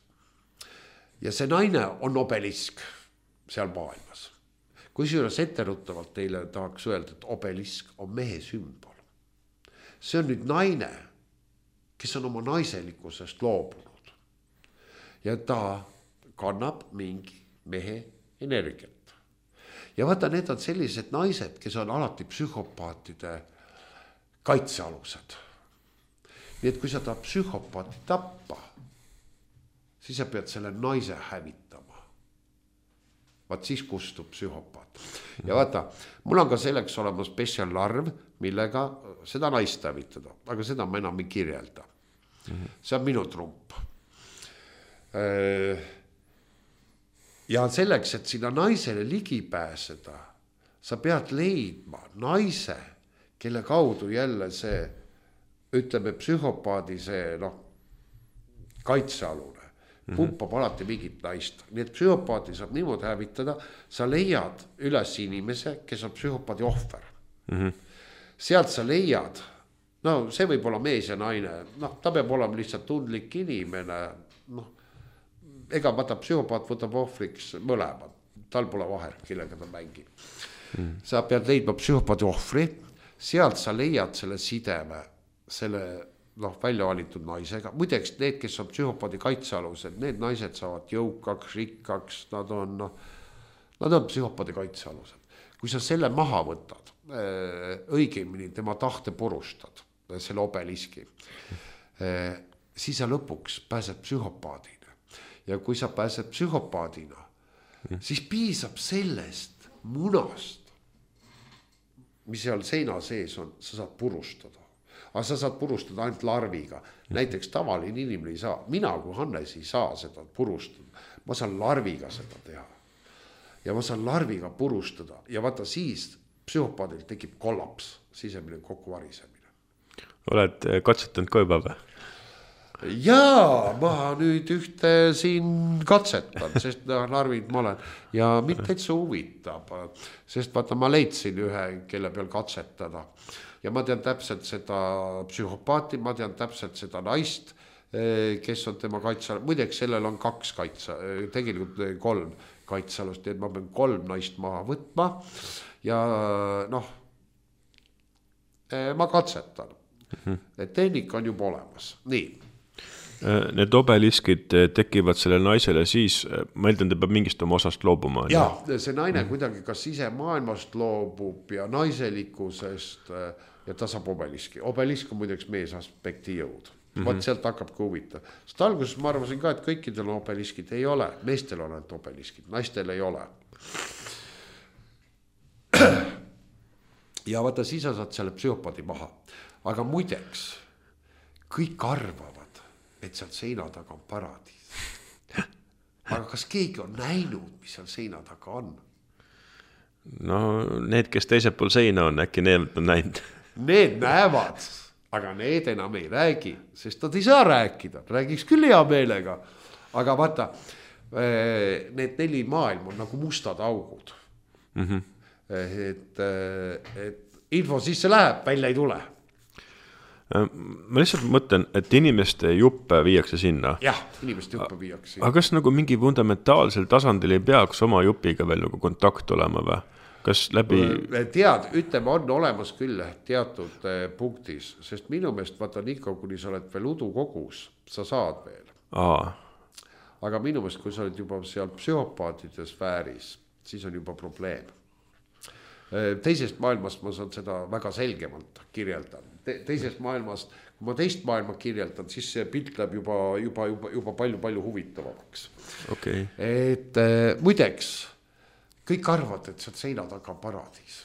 Ja see naine on obelisk seal maailmas. Kui juures etteruttavalt teile tahaks öelda, et obelisk on mehe sümbol. See on nüüd naine, kes on oma naiselikkusest loobunud. Ja ta kannab mingi mehe energiat. Ja vaata, need on sellised naised, kes on alati psühhopaatide kaitsealused. Nii et kui sa tahad psühhopaati tappa, siis sa pead selle naise hävitama. Vaat siis kustub psühhopaat. Ja vaata, mul on ka selleks olema spetsiallarv, millega seda naist hävitada, aga seda ma enam ei kirjelda. See on minu trump. Ja selleks, et sinna naisele ligi pääseda, sa pead leidma naise, kelle kaudu jälle see, ütleme, psühhopaadi see, noh, kaitsealune, pumpab alati mingit naist. Nii et psühhopaati saab niimoodi hävitada, sa leiad üles inimese, kes on psühhopaadi ohver. Mm-hmm. Sealt sa leiad, no see võib olla mees ja naine, noh, ta peab olema lihtsalt tundlik inimene, noh, ega vaata psühhopaat võtab ohvriks mõlemad, tal pole vahet, kellega ta mängib. Mm. Sa pead leidma psühhopaadi ohvri, sealt sa leiad selle sideme, selle, noh, välja valitud naisega. Muideks need, kes on psühhopaadi kaitsealused, need naised saavad jõukaks, rikkaks, nad on, noh, nad on psühhopaadi kaitsealused. Kui sa selle maha võtad, õigemini tema tahte purustad, selle obeliski, siis sa lõpuks pääsed psühhopaadina. Ja kui sa pääsed psühhopaadina, siis piisab sellest munast, mis seal seina sees on, sa saad purustada. Aga sa saad purustada ainult larviga. Näiteks tavaline inimene ei saa. Mina kui Hannes ei saa seda purustada. Ma saan larviga seda teha. Ja ma saan larviga purustada. Ja vaata siis psühhopaadil tekib kollaps, sisemine kokkuvarisemine. Oled katsetanud ka juba või? Jaa, ma nüüd ühte siin katsetan, sest narvid ma olen. Ja mind täitsa huvitab, sest vaata ma leidsin ühe, kelle peal katsetada. Ja ma tean täpselt seda psühhopaati, ma tean täpselt seda naist, kes on tema kaitsa. Muideks sellel on kaks kaitsa, tegelikult kolm kaitsalust, nii et ma pean kolm naist maha võtma. Ja noh, ma katsetan. Tehnika on juba olemas. Nii. Need obeliskid tekivad selle naisele siis, ma eeldan, ta peab mingist oma osast loobuma. Ja, see naine kuidagi kas ise maailmast loobub ja naiselikkusest ja ta saab obeliski. Obelisk on muideks mees aspekti jõud. Mm-hmm. Vaat sealt hakkab ka huvita. Sest alguses ma arvasin ka, et kõikidel obeliskid ei ole. Meestel on ainult obeliskid, naistel ei ole. Ja vaata, siis sa saad selle psühhopaadi maha. Aga muideks, kõik arvavad, et seal seina taga on paradiis. Aga kas keegi on näinud, mis seal seina taga on? No need, kes teisel pool seina on, äkki need on näinud. Need näevad, aga need enam ei räägi, sest nad ei saa rääkida. Räägiks küll hea meelega. Aga vaata, need neli maailm on nagu mustad augud. Mm-hmm. Et, et info sisse läheb, välja ei tule. Ma lihtsalt mõtlen, et inimeste juppe viiakse sinna. Jah, inimeste juppe viiakse sinna. Aga kas nagu mingi fundamentaalsel tasandil ei peaks oma jupiga veel nagu kontakt olema või? Kas läbi... Tead, ütleme, on olemas küll teatud punktis, sest minu meelest vaata Niko, kuni sa oled veel udukogus, sa saad veel. Aa. Aga minu meelest, kui sa oled juba seal psühhopaatide sfääris, siis on juba probleem. Teisest maailmast ma saan seda väga selgemalt kirjeldan. Te, teisest maailmast, kui ma teist maailma kirjeldan, siis see pilt läheb juba, juba, juba, juba palju, palju huvitavamaks. Okay. Et äh, muideks, kõik arvad, et sealt seina taga on paradiis.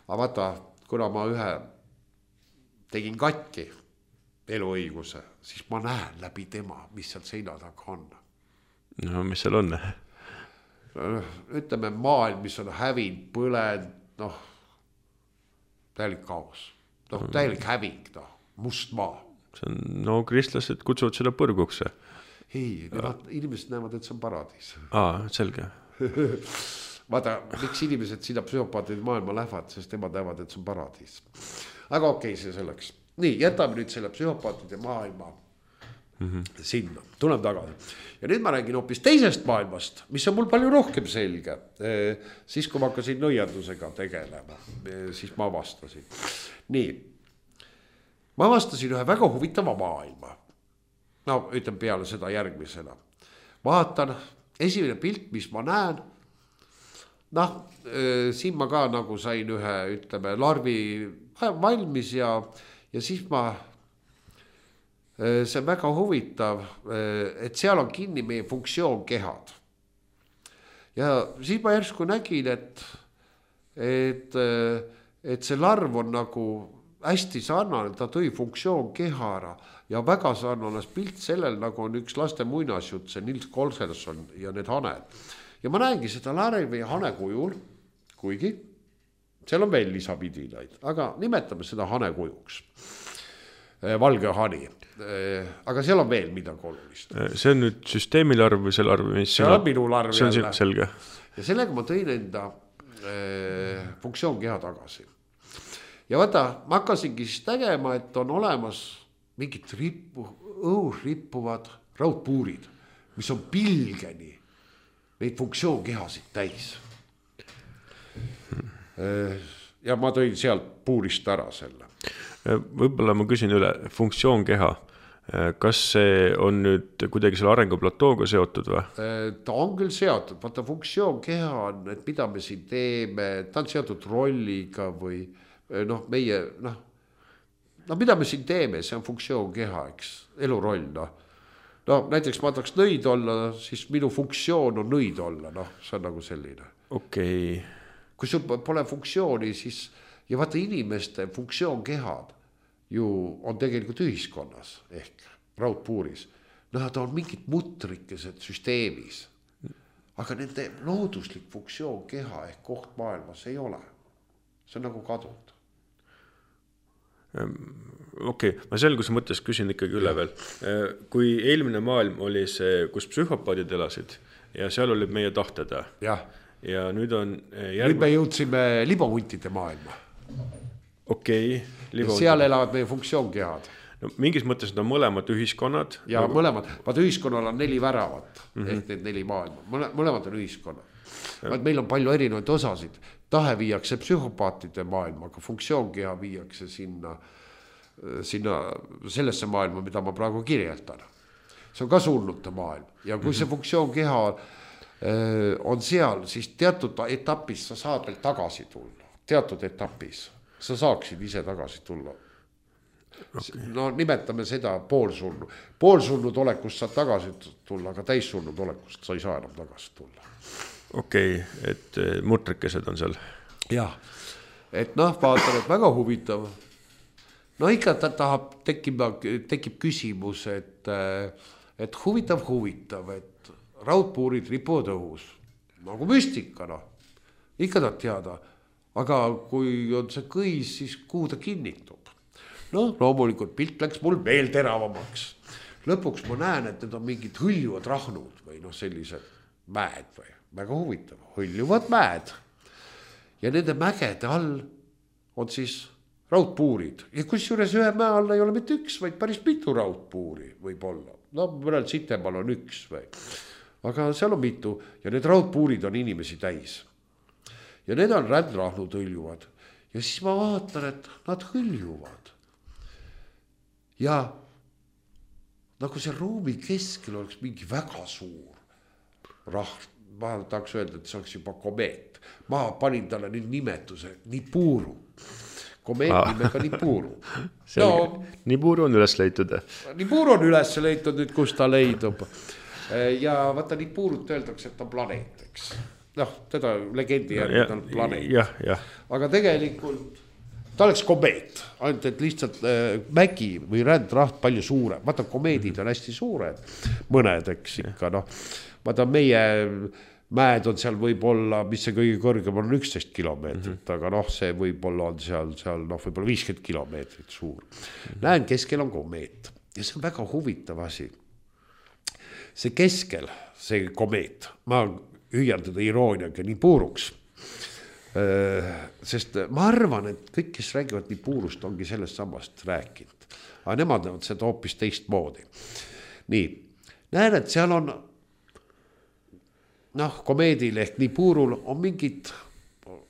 Aga vaata, kuna ma ühe tegin katki eluõiguse, siis ma näen läbi tema, mis sealt seina taga on. No, mis seal on? Ütleme, maailm, mis on hävinud, põlend, noh, täielik kaos. Noh, täielik häving, noh, must maa. See on, no, kristlased kutsuvad seda põrguks. Ei, nemad, inimesed näevad, et see on paradiis. Aa, selge. Vaata, miks inimesed sinna psühhopaatide maailma lähevad, sest nemad näevad, et see on paradiis. Aga okei, see selleks. Nii, jätame nüüd selle psühhopaatide maailma mm-hmm. sinna. Tulem tagasi. Ja nüüd ma räägin hoopis teisest maailmast, mis on mul palju rohkem selge. Siis, kui ma hakkasin nõiandusega tegelema, siis ma avastasin. Nii, ma avastasin ühe väga huvitava maailma. No, ütlen peale seda järgmisena. Vaatan esimene pilt, mis ma näen, noh, siin ma ka nagu sain ühe, ütleme, larvi valmis ja, ja siis ma, see on väga huvitav, et seal on kinni meie funktsioonkehad. Ja siis ma järsku nägin, et, et, et see larv on nagu hästi sarnane, ta tõi funktsioonkeha ära ja väga sarnane pilt sellel, nagu on üks laste muinasjutt, see Nils Kolselson ja need haned. Ja ma näengi seda larvi hane kujul, kuigi seal on veel lisapidinaid, aga nimetame seda hane kujuks. Valge hani. Aga seal on veel midagi olulist. See on nüüd süsteemi larv või see larv, mis see on minu larv see on jälle. Selge. Ja sellega ma tõin enda eh, funktsioonkeha tagasi. Ja vaata, ma hakkasingi siis tegema, et on olemas mingid rippu, õhus rippuvad raudpuurid, mis on pilgeni neid funktsioonkehasid täis. Ja ma tõin sealt puurist ära selle. Võib-olla ma küsin üle, funktsioonkeha, kas see on nüüd kuidagi selle arenguplatooga seotud või? Ta on küll seotud, vaata funktsioonkeha on, et mida me siin teeme, ta on seotud rolliga või noh, meie, noh, no mida me siin teeme, see on funktsioonkeha, eks, eluroll, noh. No näiteks ma tahaks nõid olla, siis minu funktsioon on nõid olla, noh, see on nagu selline. Okei. Okay. Kui sul pole funktsiooni, siis ja vaata inimeste funktsioonkehad ju on tegelikult ühiskonnas ehk raudpuuris. Nad on mingid mutrikesed süsteemis, aga nende looduslik funktsioonkeha ehk koht maailmas ei ole. See on nagu kadunud. Okei, okay. Ma selguse mõttes küsin ikkagi üle veel. Kui eelmine maailm oli see, kus psühhopaadid elasid ja seal olid meie tahted. Jah. Ja nüüd on järg... nüüd me jõudsime libohuntide maailma. Okei. Okay, seal elavad meie funktsioonkead. No, mingis mõttes need on mõlemad ühiskonnad. Ja nagu... mõlemad. Vaat ühiskonnal on neli väravat, mm -hmm. ehk need neli maailma. Mõlemad on ühiskonnad. Vaat meil on palju erinevaid osasid. Tahe viiakse psühhopaatide maailma, aga funktsioonkeha viiakse sinna, sinna sellesse maailma, mida ma praegu kirjeldan. See on ka surnute maailm. Ja kui see funktsioonkeha on seal, siis teatud etapis sa saad veel tagasi tulla. Teatud etapis sa saaksid ise tagasi tulla. Okay. No nimetame seda poolsurnu. Poolsurnud olekust saad tagasi tulla, aga täissurnud olekust sa ei saa enam tagasi tulla. Okei, okay, et mutrikesed on seal. Jah, et noh, vaatan, et väga huvitav. No ikka ta tahab, tekib, tekib küsimus, et, et huvitav, huvitav, et raudpuurid ripuvad õhus, nagu müstika, noh. Ikka tahab teada, aga kui on see kõis, siis kuhu ta kinnitub. No loomulikult pilt läks mul veel teravamaks. Lõpuks ma näen, et need on mingid hõljuvad rahnud või noh, sellised mäed või väga huvitav, hõljuvad mäed. Ja nende mägede all on siis raudpuurid. Ja kusjuures ühe mäe all ei ole mitte üks, vaid päris mitu raudpuuri võib olla. No mõnel Sitemaal on üks või. Aga seal on mitu ja need raudpuurid on inimesi täis. Ja need on rändrahnud hõljuvad. Ja siis ma vaatan, et nad hõljuvad. Ja nagu see ruumi keskel oleks mingi väga suur rahv. Ma tahaks öelda, et see oleks juba komeet. Ma panin talle nüüd nimetuse Nibiru. Komeet ah. nimega Nibiru. No, Nibiru on üles leitud. Nibiru on üles leitud nüüd, kus ta leidub. Ja vaata Nibirut öeldakse, et ta on planeet, eks. Noh, teda legendi järgi ta on planeet. Jah, jah. Aga tegelikult ta oleks komeet. Ainult, et lihtsalt äh, mägi või rändraht palju suurem. Vaata, komeedid on hästi suured. Mõned, eks ikka, noh. Vaata, meie mäed on seal võib-olla, mis see kõige kõrgem on üksteist kilomeetrit, mm -hmm. aga noh, see võib-olla on seal, seal noh, võib-olla viiskümmend kilomeetrit suur. Mm -hmm. Näen, keskel on komeet. Ja see on väga huvitav asi. See keskel, see komeet, ma hüüan teda irooniaga Nibiruks. Sest ma arvan, et kõik, kes räägivad Nibirust, ongi sellest samast rääkinud. Aga nemad on seda hoopis teist moodi. Nii, näen, et seal on noh, komeedil ehk Nibirul on mingid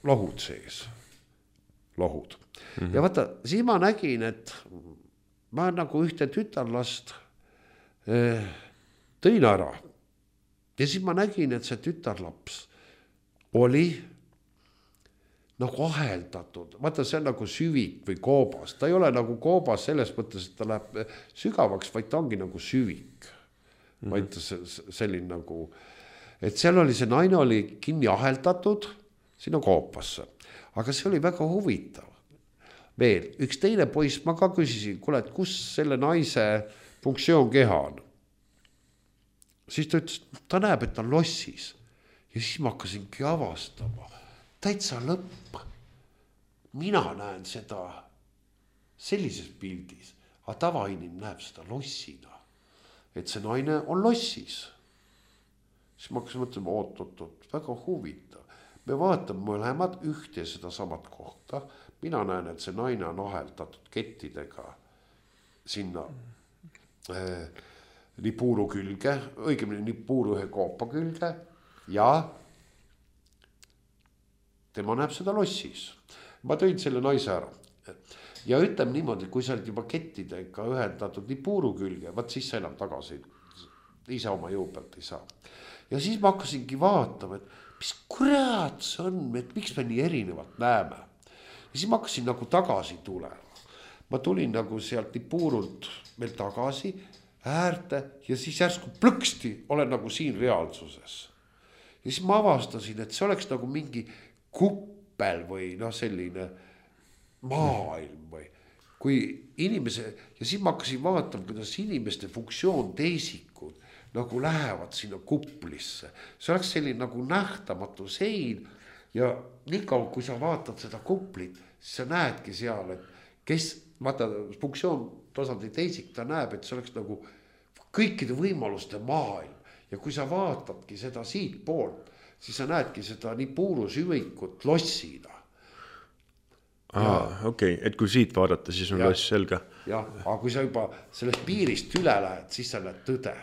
lohud sees. Lohud. Mm -hmm. Ja vaata, siis ma nägin, et ma nagu ühte tütarlast eh, tõin ära. ja siis ma nägin, et see tütarlaps oli nagu aheldatud, vaata see on nagu süvik või koobas, ta ei ole nagu koobas selles mõttes, et ta läheb sügavaks, vaid ta ongi nagu süvik. Mm-hmm. Vaid selline nagu, et seal oli see naine oli kinni aheldatud sinna koopasse, aga see oli väga huvitav. Veel, üks teine poiss, ma ka küsisin, kuule, et kus selle naise funktsioon keha on? Siis ta ütles, ta näeb, et ta on lossis. Ja siis ma hakkasingi avastama. Täitsa lõpp. Mina näen seda sellises pildis, aga tavainim näeb seda lossina. Et see naine on lossis. Siis ma hakkasin mõtlema, oot, oot, oot, väga huvitav. Me vaatame mõlemad ühte ja seda samat kohta. Mina näen, et see naine on aheldatud kettidega sinna äh, nipuuru külge, õigemini nipuuru ühe koopa külge ja tema näeb seda lossis. Ma tõin selle naise ära. Ja ütleme niimoodi, kui sa oled juba kettidega ühendatud nipuuru külge, vaat siis sa enam tagasi ise oma jõu pealt ei saa. Ja siis ma hakkasingi vaatama, et mis kurat see on, et miks me nii erinevalt näeme. Ja siis ma hakkasin nagu tagasi tulema. Ma tulin nagu sealt nipuurult veel tagasi äärte ja siis järsku plõksti olen nagu siin reaalsuses. Ja siis ma avastasin, et see oleks nagu mingi kuppel või noh selline maailm või kui inimese ja siis ma hakkasin vaatama, kuidas inimeste funktsioon teisikud nagu lähevad sinna kuplisse. See oleks selline nagu nähtamatu sein ja nii kaua, kui sa vaatad seda kuplit, siis sa näedki seal, et kes, vaata, funktsioon tasandi teisik, ta näeb, et see oleks nagu kõikide võimaluste maailm ja kui sa vaatadki seda siit poolt, siis sa näedki seda nii puuru süvikut lossina. Aa, okei, okay. Et kui siit vaadata, siis on ja, loss selge. Jah, aga kui sa juba sellest piirist üle lähed, siis sa näed tõde.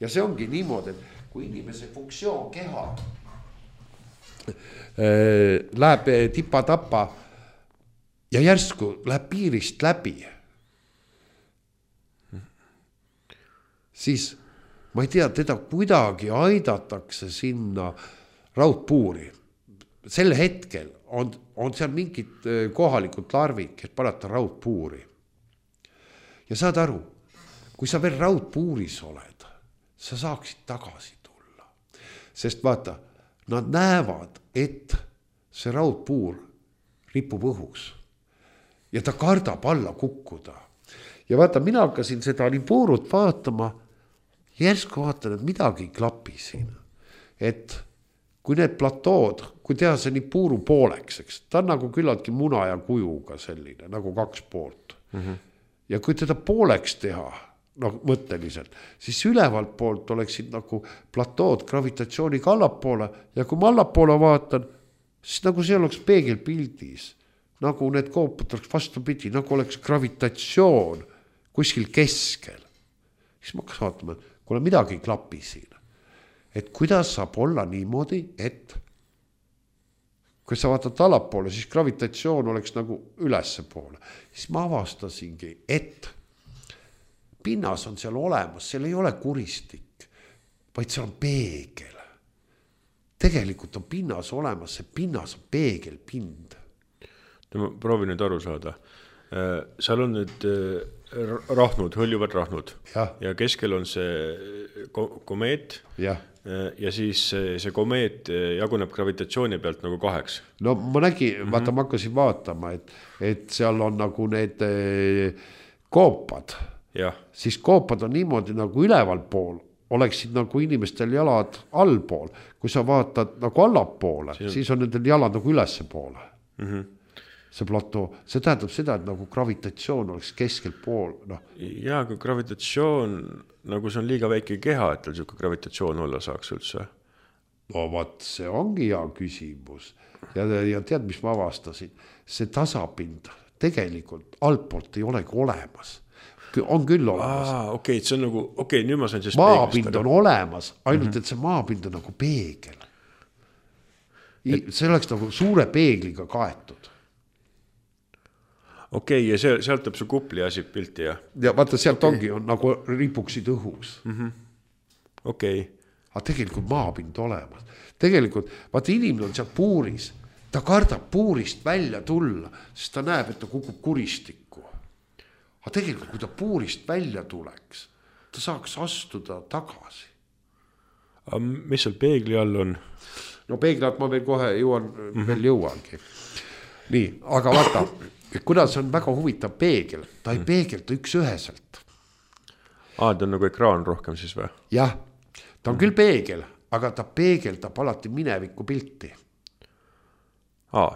Ja see ongi niimoodi, et kui inimese funktsioon keha äh, läheb tipa-tapa ja järsku läheb piirist läbi, siis ma ei tea, teda kuidagi aidatakse sinna raudpuuri. Sel hetkel on, on seal mingid kohalikud larvid, kes panata raudpuuri. Ja saad aru, kui sa veel raudpuuris oled, sa saaksid tagasi tulla. Sest vaata, nad näevad, et see raudpuur ripub õhus ja ta kardab alla kukkuda. Ja vaata, mina hakkasin seda nipuurut vaatama, järsku vaatan, et midagi ei klapi siin. Et kui need platood, kui teha see nipuuru pooleks, eks, ta on nagu küllaltki muna ja kujuga selline, nagu kaks poolt. Mm-hmm. Ja kui teda pooleks teha, no mõtteliselt, siis ülevalt poolt oleksid nagu platood gravitatsiooniga allapoole ja kui ma allapoole vaatan, siis nagu see oleks peegelpildis, nagu need koopad oleks vastupidi, nagu oleks gravitatsioon kuskil keskel. Siis ma hakkas vaatama, et kuule midagi ei klapi siin. Et kuidas saab olla niimoodi, et kui sa vaatad allapoole, siis gravitatsioon oleks nagu ülesse poole. Siis ma avastasingi, et pinnas on seal olemas, seal ei ole kuristik, vaid seal on peegel. Tegelikult on pinnas olemas, see pinnas on peegelpind. Ma proovin nüüd aru saada. Seal on nüüd rahnud, hõljuvad rahnud ja, ja keskel on see komeet ja. ja siis see komeet jaguneb gravitatsiooni pealt nagu kaheks. No ma nägin, mm-hmm. vaata ma hakkasin vaatama, et, et seal on nagu need koopad, ja. Siis koopad on niimoodi nagu üleval pool, oleksid nagu inimestel jalad allpool, kui sa vaatad nagu allapoole, siis on, siis on nendel jalad nagu ülesse poole. Mhm. See platoo, see tähendab seda, et nagu gravitatsioon oleks keskel pool. No. Ja, kui gravitatsioon, nagu see on liiga väike keha, et tal siuke gravitatsioon olla saaks üldse. No vaat, see ongi hea küsimus. Ja, ja tead, mis ma avastasin? See tasapind tegelikult altpoolt ei olegi olemas. On küll olemas. Aa, okei, okay, see on nagu, okei, okay, nüüd ma sain siis maapind on olemas, ainult mm-hmm. et see maapind on nagu peegel. Et... See oleks nagu suure peegliga kaetud. Okei, okay, ja see, sealt tõb see kupli asi pilti, jah? Ja vaata, sealt okay. ongi, on nagu ripuksid õhus. Mm-hmm. Okei. Okay. aga tegelikult maapind olemas. Tegelikult, vaata inimene on seal puuris, ta kardab puurist välja tulla, sest ta näeb, et ta kukub kuristikku. Aga tegelikult, kui ta puurist välja tuleks, ta saaks astuda tagasi. Aga mis seal peegli all on? No peeglat ma veel kohe jõuan, mm-hmm. veel jõuangi. Nii, aga vaata, kuna see on väga huvitav peegel, ta ei peegelda üks üheselt. Aa, ta on nagu ekraan rohkem siis või? Jah, ta on küll peegel, aga ta peegeldab alati mineviku pilti. Aa.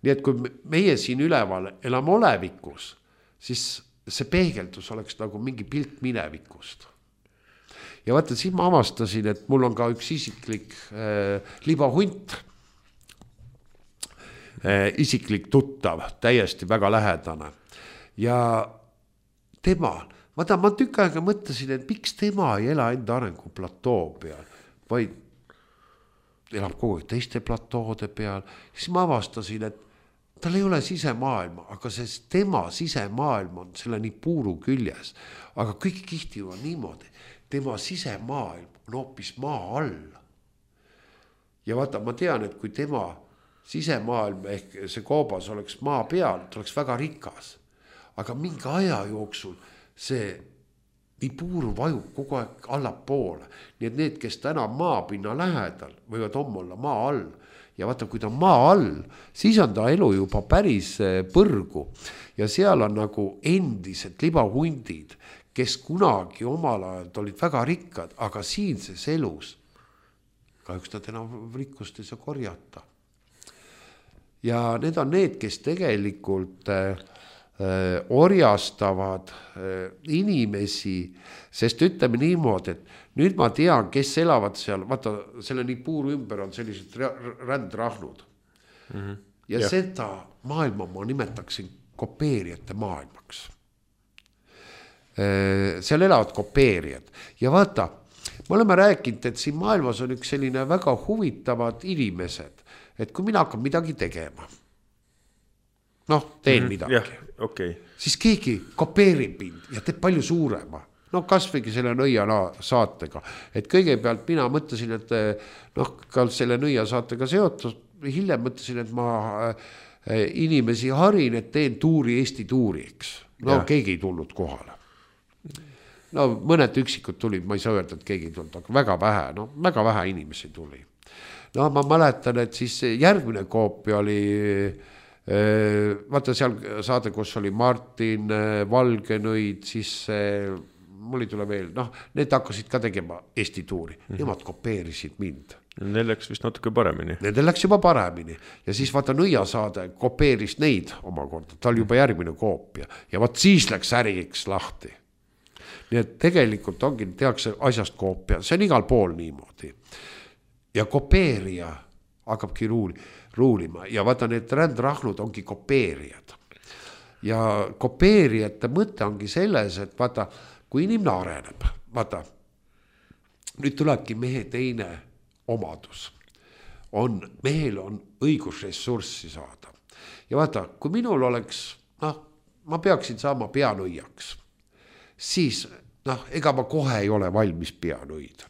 Nii et kui meie siin üleval elame olevikus, siis see peegeldus oleks nagu mingi pilt minevikust. Ja vaata, siin ma avastasin, et mul on ka üks isiklik äh, libahunt, äh, isiklik tuttav, täiesti väga lähedane. Ja tema, vaata, ma tükk aega mõtlesin, et miks tema ei ela enda arengu platoo peal, vaid elab kogu aeg teiste platoode peal. Siis ma avastasin, et tal ei ole sisemaailma, aga see tema sisemaailm on selle nii puuru küljes. Aga kõik kihtivad niimoodi. Tema sisemaailm on hoopis maa all. Ja vaata, ma tean, et kui tema sisemaailm ehk see koobas oleks maa peal, ta oleks väga rikas. Aga mingi aja jooksul see nii puuru vajub kogu aeg allapoole. Nii et need, kes täna maapinna lähedal, võivad homme olla maa all. Ja vaata, kui ta maa all, siis on ta elu juba päris põrgu. Ja seal on nagu endised libahundid, kes kunagi omal ajal olid väga rikkad, aga siinses elus kahjuks nad enam rikkust ei saa korjata. Ja need on need, kes tegelikult äh, orjastavad äh, inimesi, sest ütleme niimoodi, et nüüd ma tean, kes elavad seal, vaata, selle nii puuru ümber on sellised rändrahnud. Mm-hmm. Ja yeah. Seda maailma ma nimetaksin kopeerijate maailmaks. Seal elavad kopeerijad ja vaata, me oleme rääkinud, et siin maailmas on üks selline väga huvitavad inimesed, et kui mina hakkan midagi tegema, noh, teen mm, midagi, yeah, okay. Siis keegi kopeerib mind ja teeb palju suurema, no kasvõigi selle nõia saatega, et kõigepealt mina mõtlesin, et noh, ka selle nõia saatega seotud, hiljem mõtlesin, et ma inimesi harin, et teen tuuri Eesti tuuriks, no yeah. Keegi ei tulnud kohale. No mõned üksikud tulid, ma ei saa öelda, et keegi ei tulnud, aga väga vähe, no väga vähe inimesi tuli. No ma mäletan, et siis järgmine koopia oli, vaata seal saade, kus oli Martin, Valgenõid, siis mul ei tule veel, noh, need hakkasid ka tegema Eesti tuuri, mm-hmm. Nemad kopeerisid mind. Neil läks vist natuke paremini. Nendel läks juba paremini ja siis vaata nõia saade kopeeris neid omakorda, ta oli juba järgmine koopia ja vaat siis läks äriks lahti. Nii et tegelikult ongi, tehakse asjast koopia, see on igal pool niimoodi. Ja kopeerija hakkabki ruuli, ruulima ja vaata need rändrahnud ongi kopeerijad. Ja kopeerijate mõte ongi selles, et vaata, kui inimene areneb, vaata, nüüd tulebki mehe teine omadus. On, mehel on õigus ressurssi saada. Ja vaata, kui minul oleks, noh, ma peaksin saama peanõiaks, siis noh, ega ma kohe ei ole valmis peanõid.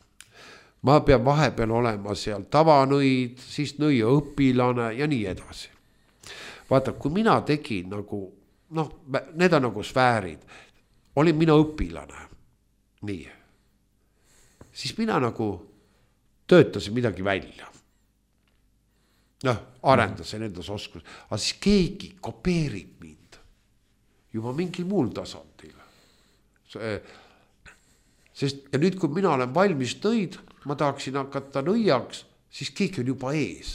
Ma pean vahepeal olema seal tavanõid, siis nõia õpilane ja nii edasi. Vaata, kui mina tegin nagu, noh, need on nagu sfäärid, olin mina õpilane, nii, siis mina nagu töötasin midagi välja. Noh, arendasin endas oskus, aga siis keegi kopeerib mind juba mingil muul tasandil. Sest, ja nüüd, kui mina olen valmis nõid, ma tahaksin hakata nõiaks, siis keegi on juba ees.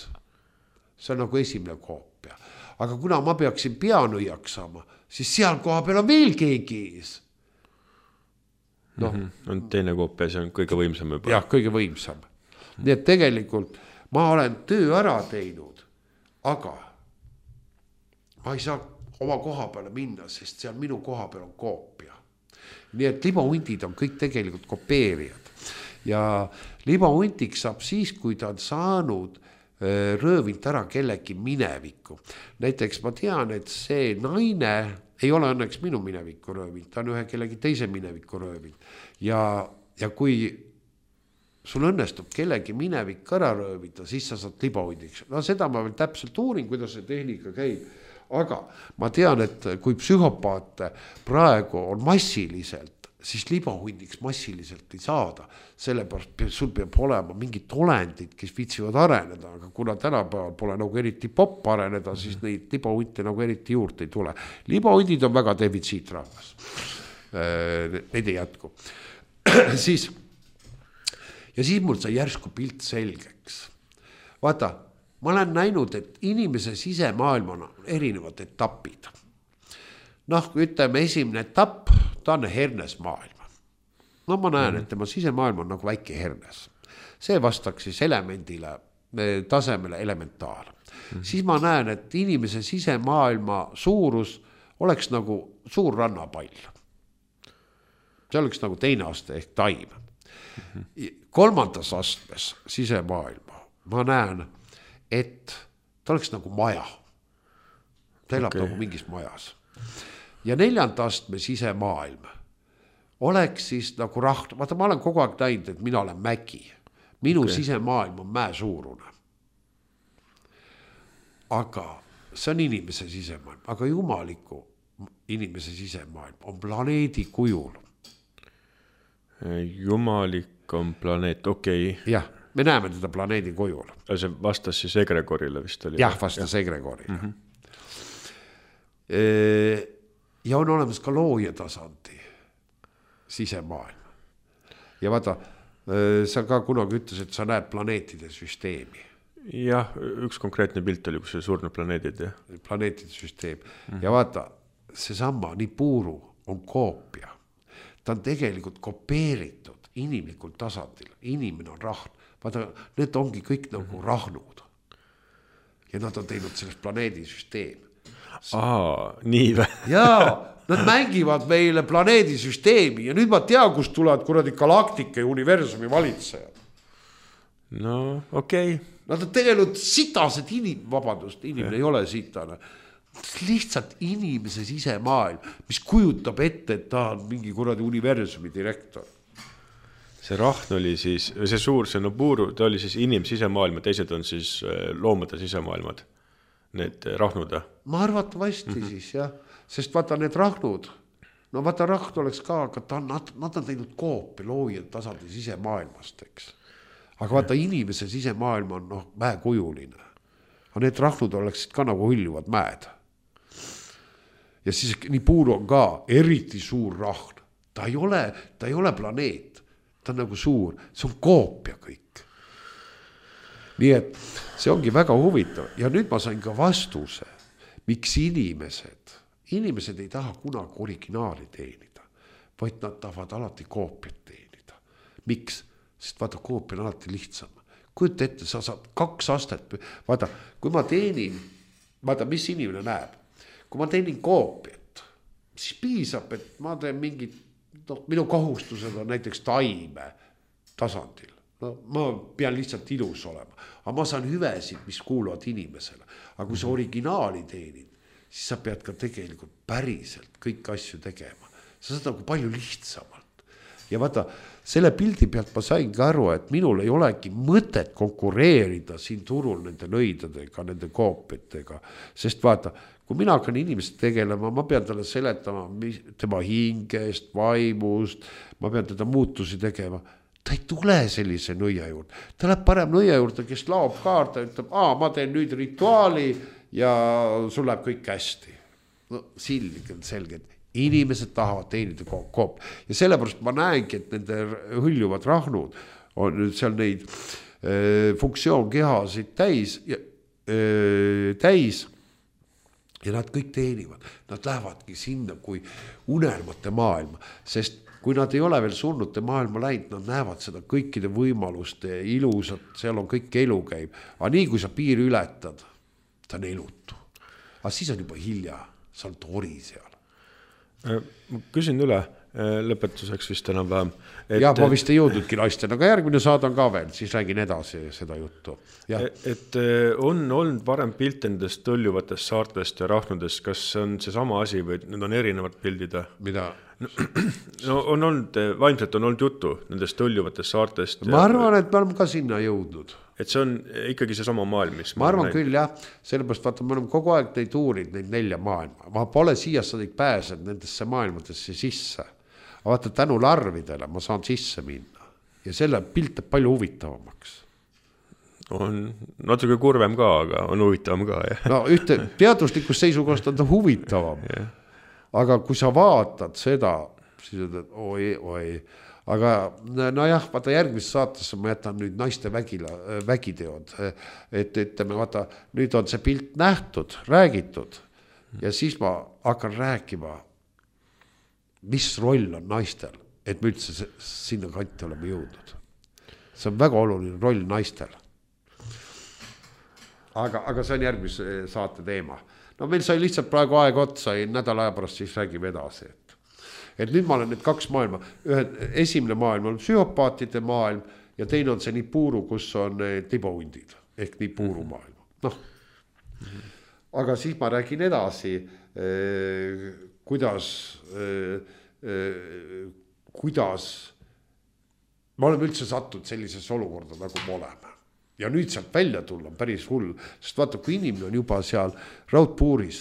See on nagu esimene koopia. Aga kuna ma peaksin peanõiaks saama, siis seal koha peal on veel keegi ees. No. Mm-hmm. On teine koopia, see on kõige võimsam juba. Jah, kõige võimsam. Nii et tegelikult ma olen töö ära teinud, aga ma ei saa oma koha peale minna, sest seal minu koha peal on koopia. Nii et libahundid on kõik tegelikult kopeerijad ja libahundiks saab siis, kui ta on saanud röövilt ära kellegi minevikku. Näiteks ma tean, et see naine ei ole õnneks minu mineviku röövilt, ta on ühe kellegi teise mineviku röövilt ja, ja kui sul õnnestub kellegi minevik ära röövida, siis sa saad libahundiks. No seda ma veel täpselt uurin, kuidas see tehnika käib. Aga ma tean, et kui psühhopaate praegu on massiliselt, siis libahundiks massiliselt ei saada. Sellepärast sul peab olema mingid olendid, kes viitsivad areneda, aga kuna tänapäeval pole nagu eriti popp areneda, siis neid libahunte nagu eriti juurde ei tule. Libahundid on väga defitsiitrahvas. Neid ei jätku. siis, ja siis mul sai järsku pilt selgeks. Vaata, ma olen näinud, et inimese sisemaailmana on erinevad etapid. Noh, ütleme esimene etapp, ta on hernes maailm. No ma näen, et tema sisemaailm on nagu väike hernes. See vastaks siis elemendile, tasemele elementaal. Mm-hmm. Siis ma näen, et inimese sisemaailma suurus oleks nagu suur rannapall. See oleks nagu teine aste ehk taim. Mm-hmm. Kolmandas astmes sisemaailma ma näen, et ta oleks nagu maja. Ta elab okay. nagu mingis majas. Ja neljanda astme sisemaailm oleks siis nagu raht, vaata ma olen kogu aeg näinud, et mina olen mägi. Minu okay. sisemaailm on mäe suurune. Aga see on inimese sisemaailm, aga jumaliku inimese sisemaailm on planeedi kujul. Jumalik on planeet, okei. Okay. Jah, me näeme teda planeedi kujul. See vastas siis egregorile vist oli? Jah, vastas ja. egregorile. Mm-hmm. Ja on olemas ka looja tasandi sisemaailm. Ja vaata, sa ka kunagi ütles, et sa näed planeetide süsteemi. Jah, üks konkreetne pilt oli, kus see surnud planeedid. Ja. Planeetide süsteem. Mm-hmm. Ja vaata, see sama Nibiru on koopia. Ta on tegelikult kopeeritud inimlikul tasandil. Inimene on rahn. Vaata, need ongi kõik nagu mm-hmm. rahnud. Ja nad on teinud sellest planeedi süsteemi. Aa, nii vä? Jaa, nad mängivad meile planeedisüsteemi ja nüüd ma tean, kust tulevad kuradi galaktika ja universumi valitsejad. No, okei. Okay. Nad on tegelikult sitased inim, vabandust, inimene ja. Ei ole sitane. Lihtsalt inimese sisemaailm, mis kujutab ette, et ta on mingi kuradi universumi direktor. See rahn oli siis, see suur, see Nibiru, ta oli siis inim sisemaailma, teised on siis loomade sisemaailmad. Need rahnud. Ma arvatavasti mm-hmm. siis, jah. Sest vaata need rahnud, no vaata rahn oleks ka, aga ta on, nad, nad on teinud koopi loojad tasandi sisemaailmast, eks. Aga vaata inimese sisemaailm on noh, mäekujuline. Aga need rahnud oleksid ka nagu hüljuvad mäed. Ja siis Nibiru on ka eriti suur rahn. Ta ei ole, ta ei ole planeet. Ta on nagu suur. See on koopia kõik. Nii et see ongi väga huvitav. Ja nüüd ma sain ka vastuse, miks inimesed, inimesed ei taha kunagi originaali teenida, vaid nad tahavad alati koopiat teenida. Miks? Sest vaata, koopia on alati lihtsam. Kujuta ette, sa saad kaks astet. Vaata, kui ma teenin, vaata, mis inimene näeb. Kui ma teenin koopiat, siis piisab, et ma teen mingid, no, minu kohustused on näiteks taime tasandil. No, ma pean lihtsalt ilus olema, aga ma saan hüvesid, mis kuuluvad inimesele. Aga kui sa originaali teenid, siis sa pead ka tegelikult päriselt kõik asju tegema. Sa saad nagu palju lihtsamalt. Ja vaata, selle pildi pealt ma sain ka aru, et minul ei olegi mõtet konkureerida siin turul nende nõidadega, nende koopiatega. Sest vaata, kui mina hakkan inimest tegelema, ma pean talle seletama tema hingest, vaimust, ma pean teda muutusi tegema. Ta ei tule sellise nõia juurde. Ta läheb parem nõia juurde, kes laob kaarta ja ütleb, aa, ma teen nüüd rituaali ja sul läheb kõik hästi. No, silgelt, selgelt. Inimesed tahavad teenida koop. Ja sellepärast ma näengi, et nende hüljuvad rahnud on seal neid äh, funktsioonkehasid täis, ja, äh, täis ja nad kõik teenivad. Nad lähevadki sinna kui unelmate maailma, sest kui nad ei ole veel surnute maailma läinud, nad näevad seda kõikide võimaluste ilusat, seal on kõik elu käib. Aga nii kui sa piiri ületad, ta on elutu. Aga siis on juba hilja, sa oled ori seal. Ma küsin üle lõpetuseks vist enam vähem. Et, ja, ma vist ei jõudnudki naisten, aga järgmine saadan ka veel, siis räägin edasi seda juttu. Ja. Et on olnud varem pilt nendest tõljuvatest saartest ja rahnudest, kas on see sama asi või need on erinevad pildid? Mida? no, no on olnud, vaimselt on olnud juttu nendest tõljuvatest saartest. Ma arvan, et me oleme ka sinna jõudnud. Et see on ikkagi see sama maailm, mis ma arvan küll jah, sellepärast vaata, me oleme kogu aeg neid uurid, neid nelja maailma. Ma pole siiasadik pääsenud nendesse maailmadesse sisse. Vaata, tänu larvidele ma saan sisse minna ja selle pilt on palju huvitavamaks. On natuke kurvem ka, aga on huvitavam ka. Jah. No ühte teaduslikust seisukohast on ta huvitavam. Yeah. Aga kui sa vaatad seda, siis ütled, oi, oi. Aga no jah, vaata järgmises saatesse ma jätan nüüd naiste vägila, vägiteod. Et ütleme, vaata, nüüd on see pilt nähtud, räägitud ja siis ma hakkan rääkima, mis roll on naistel, et me üldse sinna kanti oleme jõudnud. See on väga oluline roll naistel. Aga, aga see on järgmise saate teema. No meil sai lihtsalt praegu aeg otsa, nädala aja pärast siis räägime edasi. Et, et nüüd ma olen need kaks maailma. Ühe, esimene maailm on psühhopaatide maailm ja teine on see Nippuru, kus on libahundid ehk Nippuru maailm. Noh. Aga siis ma räägin edasi, eh, kuidas, eh, eh, kuidas me oleme üldse sattud sellises olukorda, nagu me oleme. Ja nüüd sealt välja tulla on päris hull, sest vaata, kui inimene on juba seal raudpuuris,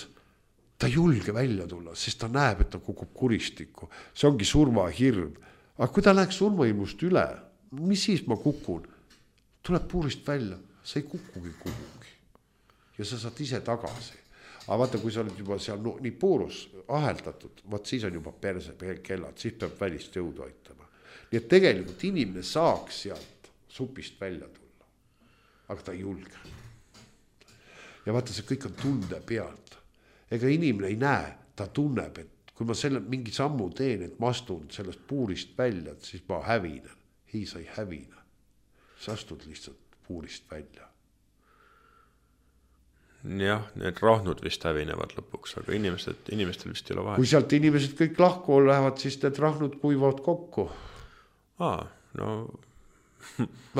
ta ei julge välja tulla, sest ta näeb, et ta kukub kuristikku. See ongi surmahirm. Aga kui ta läheks surmahirmust üle, mis siis ma kukun? Tuleb puurist välja, sa ei kukugi kuhugi. Ja sa saad ise tagasi. Aga vaata, kui sa oled juba seal no, nii puurus aheldatud, vaat siis on juba perse kellad, siis peab välist jõudu aitama. Nii et tegelikult inimene saaks sealt supist välja tulla. Aga ta ei julge. Ja vaata, see kõik on tunde pealt. Ega inimene ei näe, ta tunneb, et kui ma selle mingi sammu teen, et ma astun sellest puurist välja, siis ma hävinen. Ei, sa ei hävine. Sa astud lihtsalt puurist välja. Jah, need rahnud vist hävinevad lõpuks, aga inimesed, inimestel vist ei ole vahe. Kui sealt inimesed kõik lahku lähevad, siis need rahnud kuivavad kokku. Aa, no...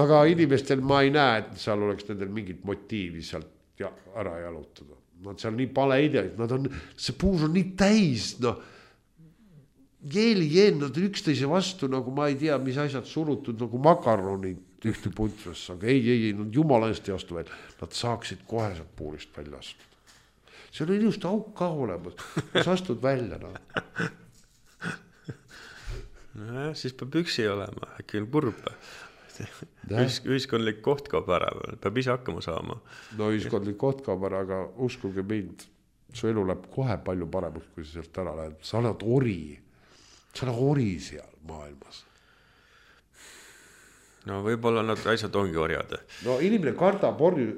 aga inimestel ma ei näe, et seal oleks nendel mingit motiivi sealt ja, ära jalutada. Nad seal nii pale ideid, nad on, see puus on nii täis, no, jeeli jeen, nad on üksteise vastu, nagu ma ei tea, mis asjad surutud, nagu makaronid ühte puntrasse, aga ei, ei, ei, nad jumala eest ei astu veel, nad saaksid kohe sealt puurist välja astuda. See on ilusti auk ka olemas, sa astud välja, no. No jah, siis peab üksi olema, äkki on kurb. Ühis, ühiskondlik koht kaob ära, peab ise hakkama saama. No ühiskondlik koht kaob ära, aga uskuge mind, su elu läheb kohe palju paremaks, kui sa sealt ära lähed. Sa oled ori, sa oled ori seal maailmas. No võib-olla nad asjad ongi orjad. No inimene kardab orju,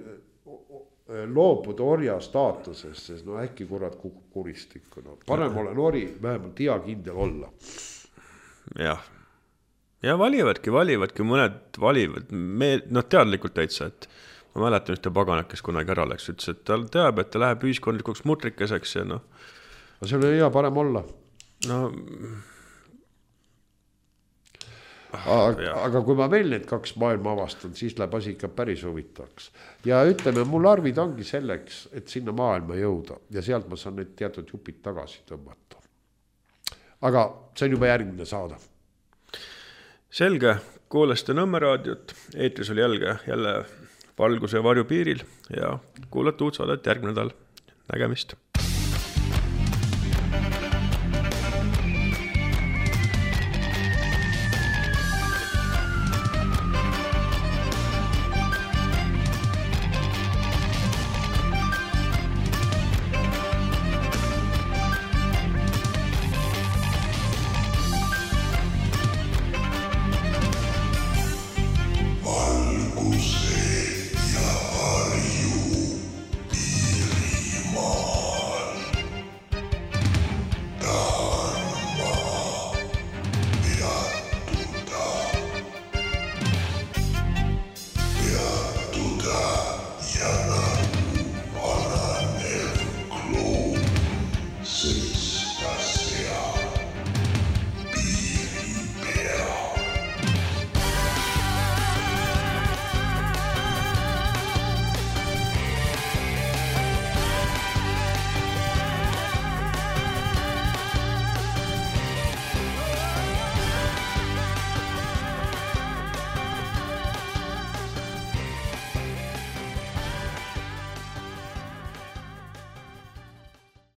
loobuda orja staatusest, sest no äkki kurat kukub kuristikku. No, parem olen ori, vähemalt hea kindel olla. Jah. Ja valivadki, valivadki, mõned valivad, me, noh teadlikult täitsa, et ma mäletan ühte paganat, kes kunagi ära läks, ütles, et ta teab, et ta läheb ühiskondlikuks mutrikeseks ja noh. Aga see oli hea parem olla. No, aga, aga kui ma veel need kaks maailma avastan, siis läheb asi ikka päris huvitaks. Ja ütleme, mul arvid ongi selleks, et sinna maailma jõuda ja sealt ma saan need teatud jupid tagasi tõmmata. Aga see on juba järgmine saada. Selge, kuulaste Nõmme raadiot, eetris oli jälge jälle valguse ja varju piiril ja kuulate uut saadet järgmine nädal. Nägemist!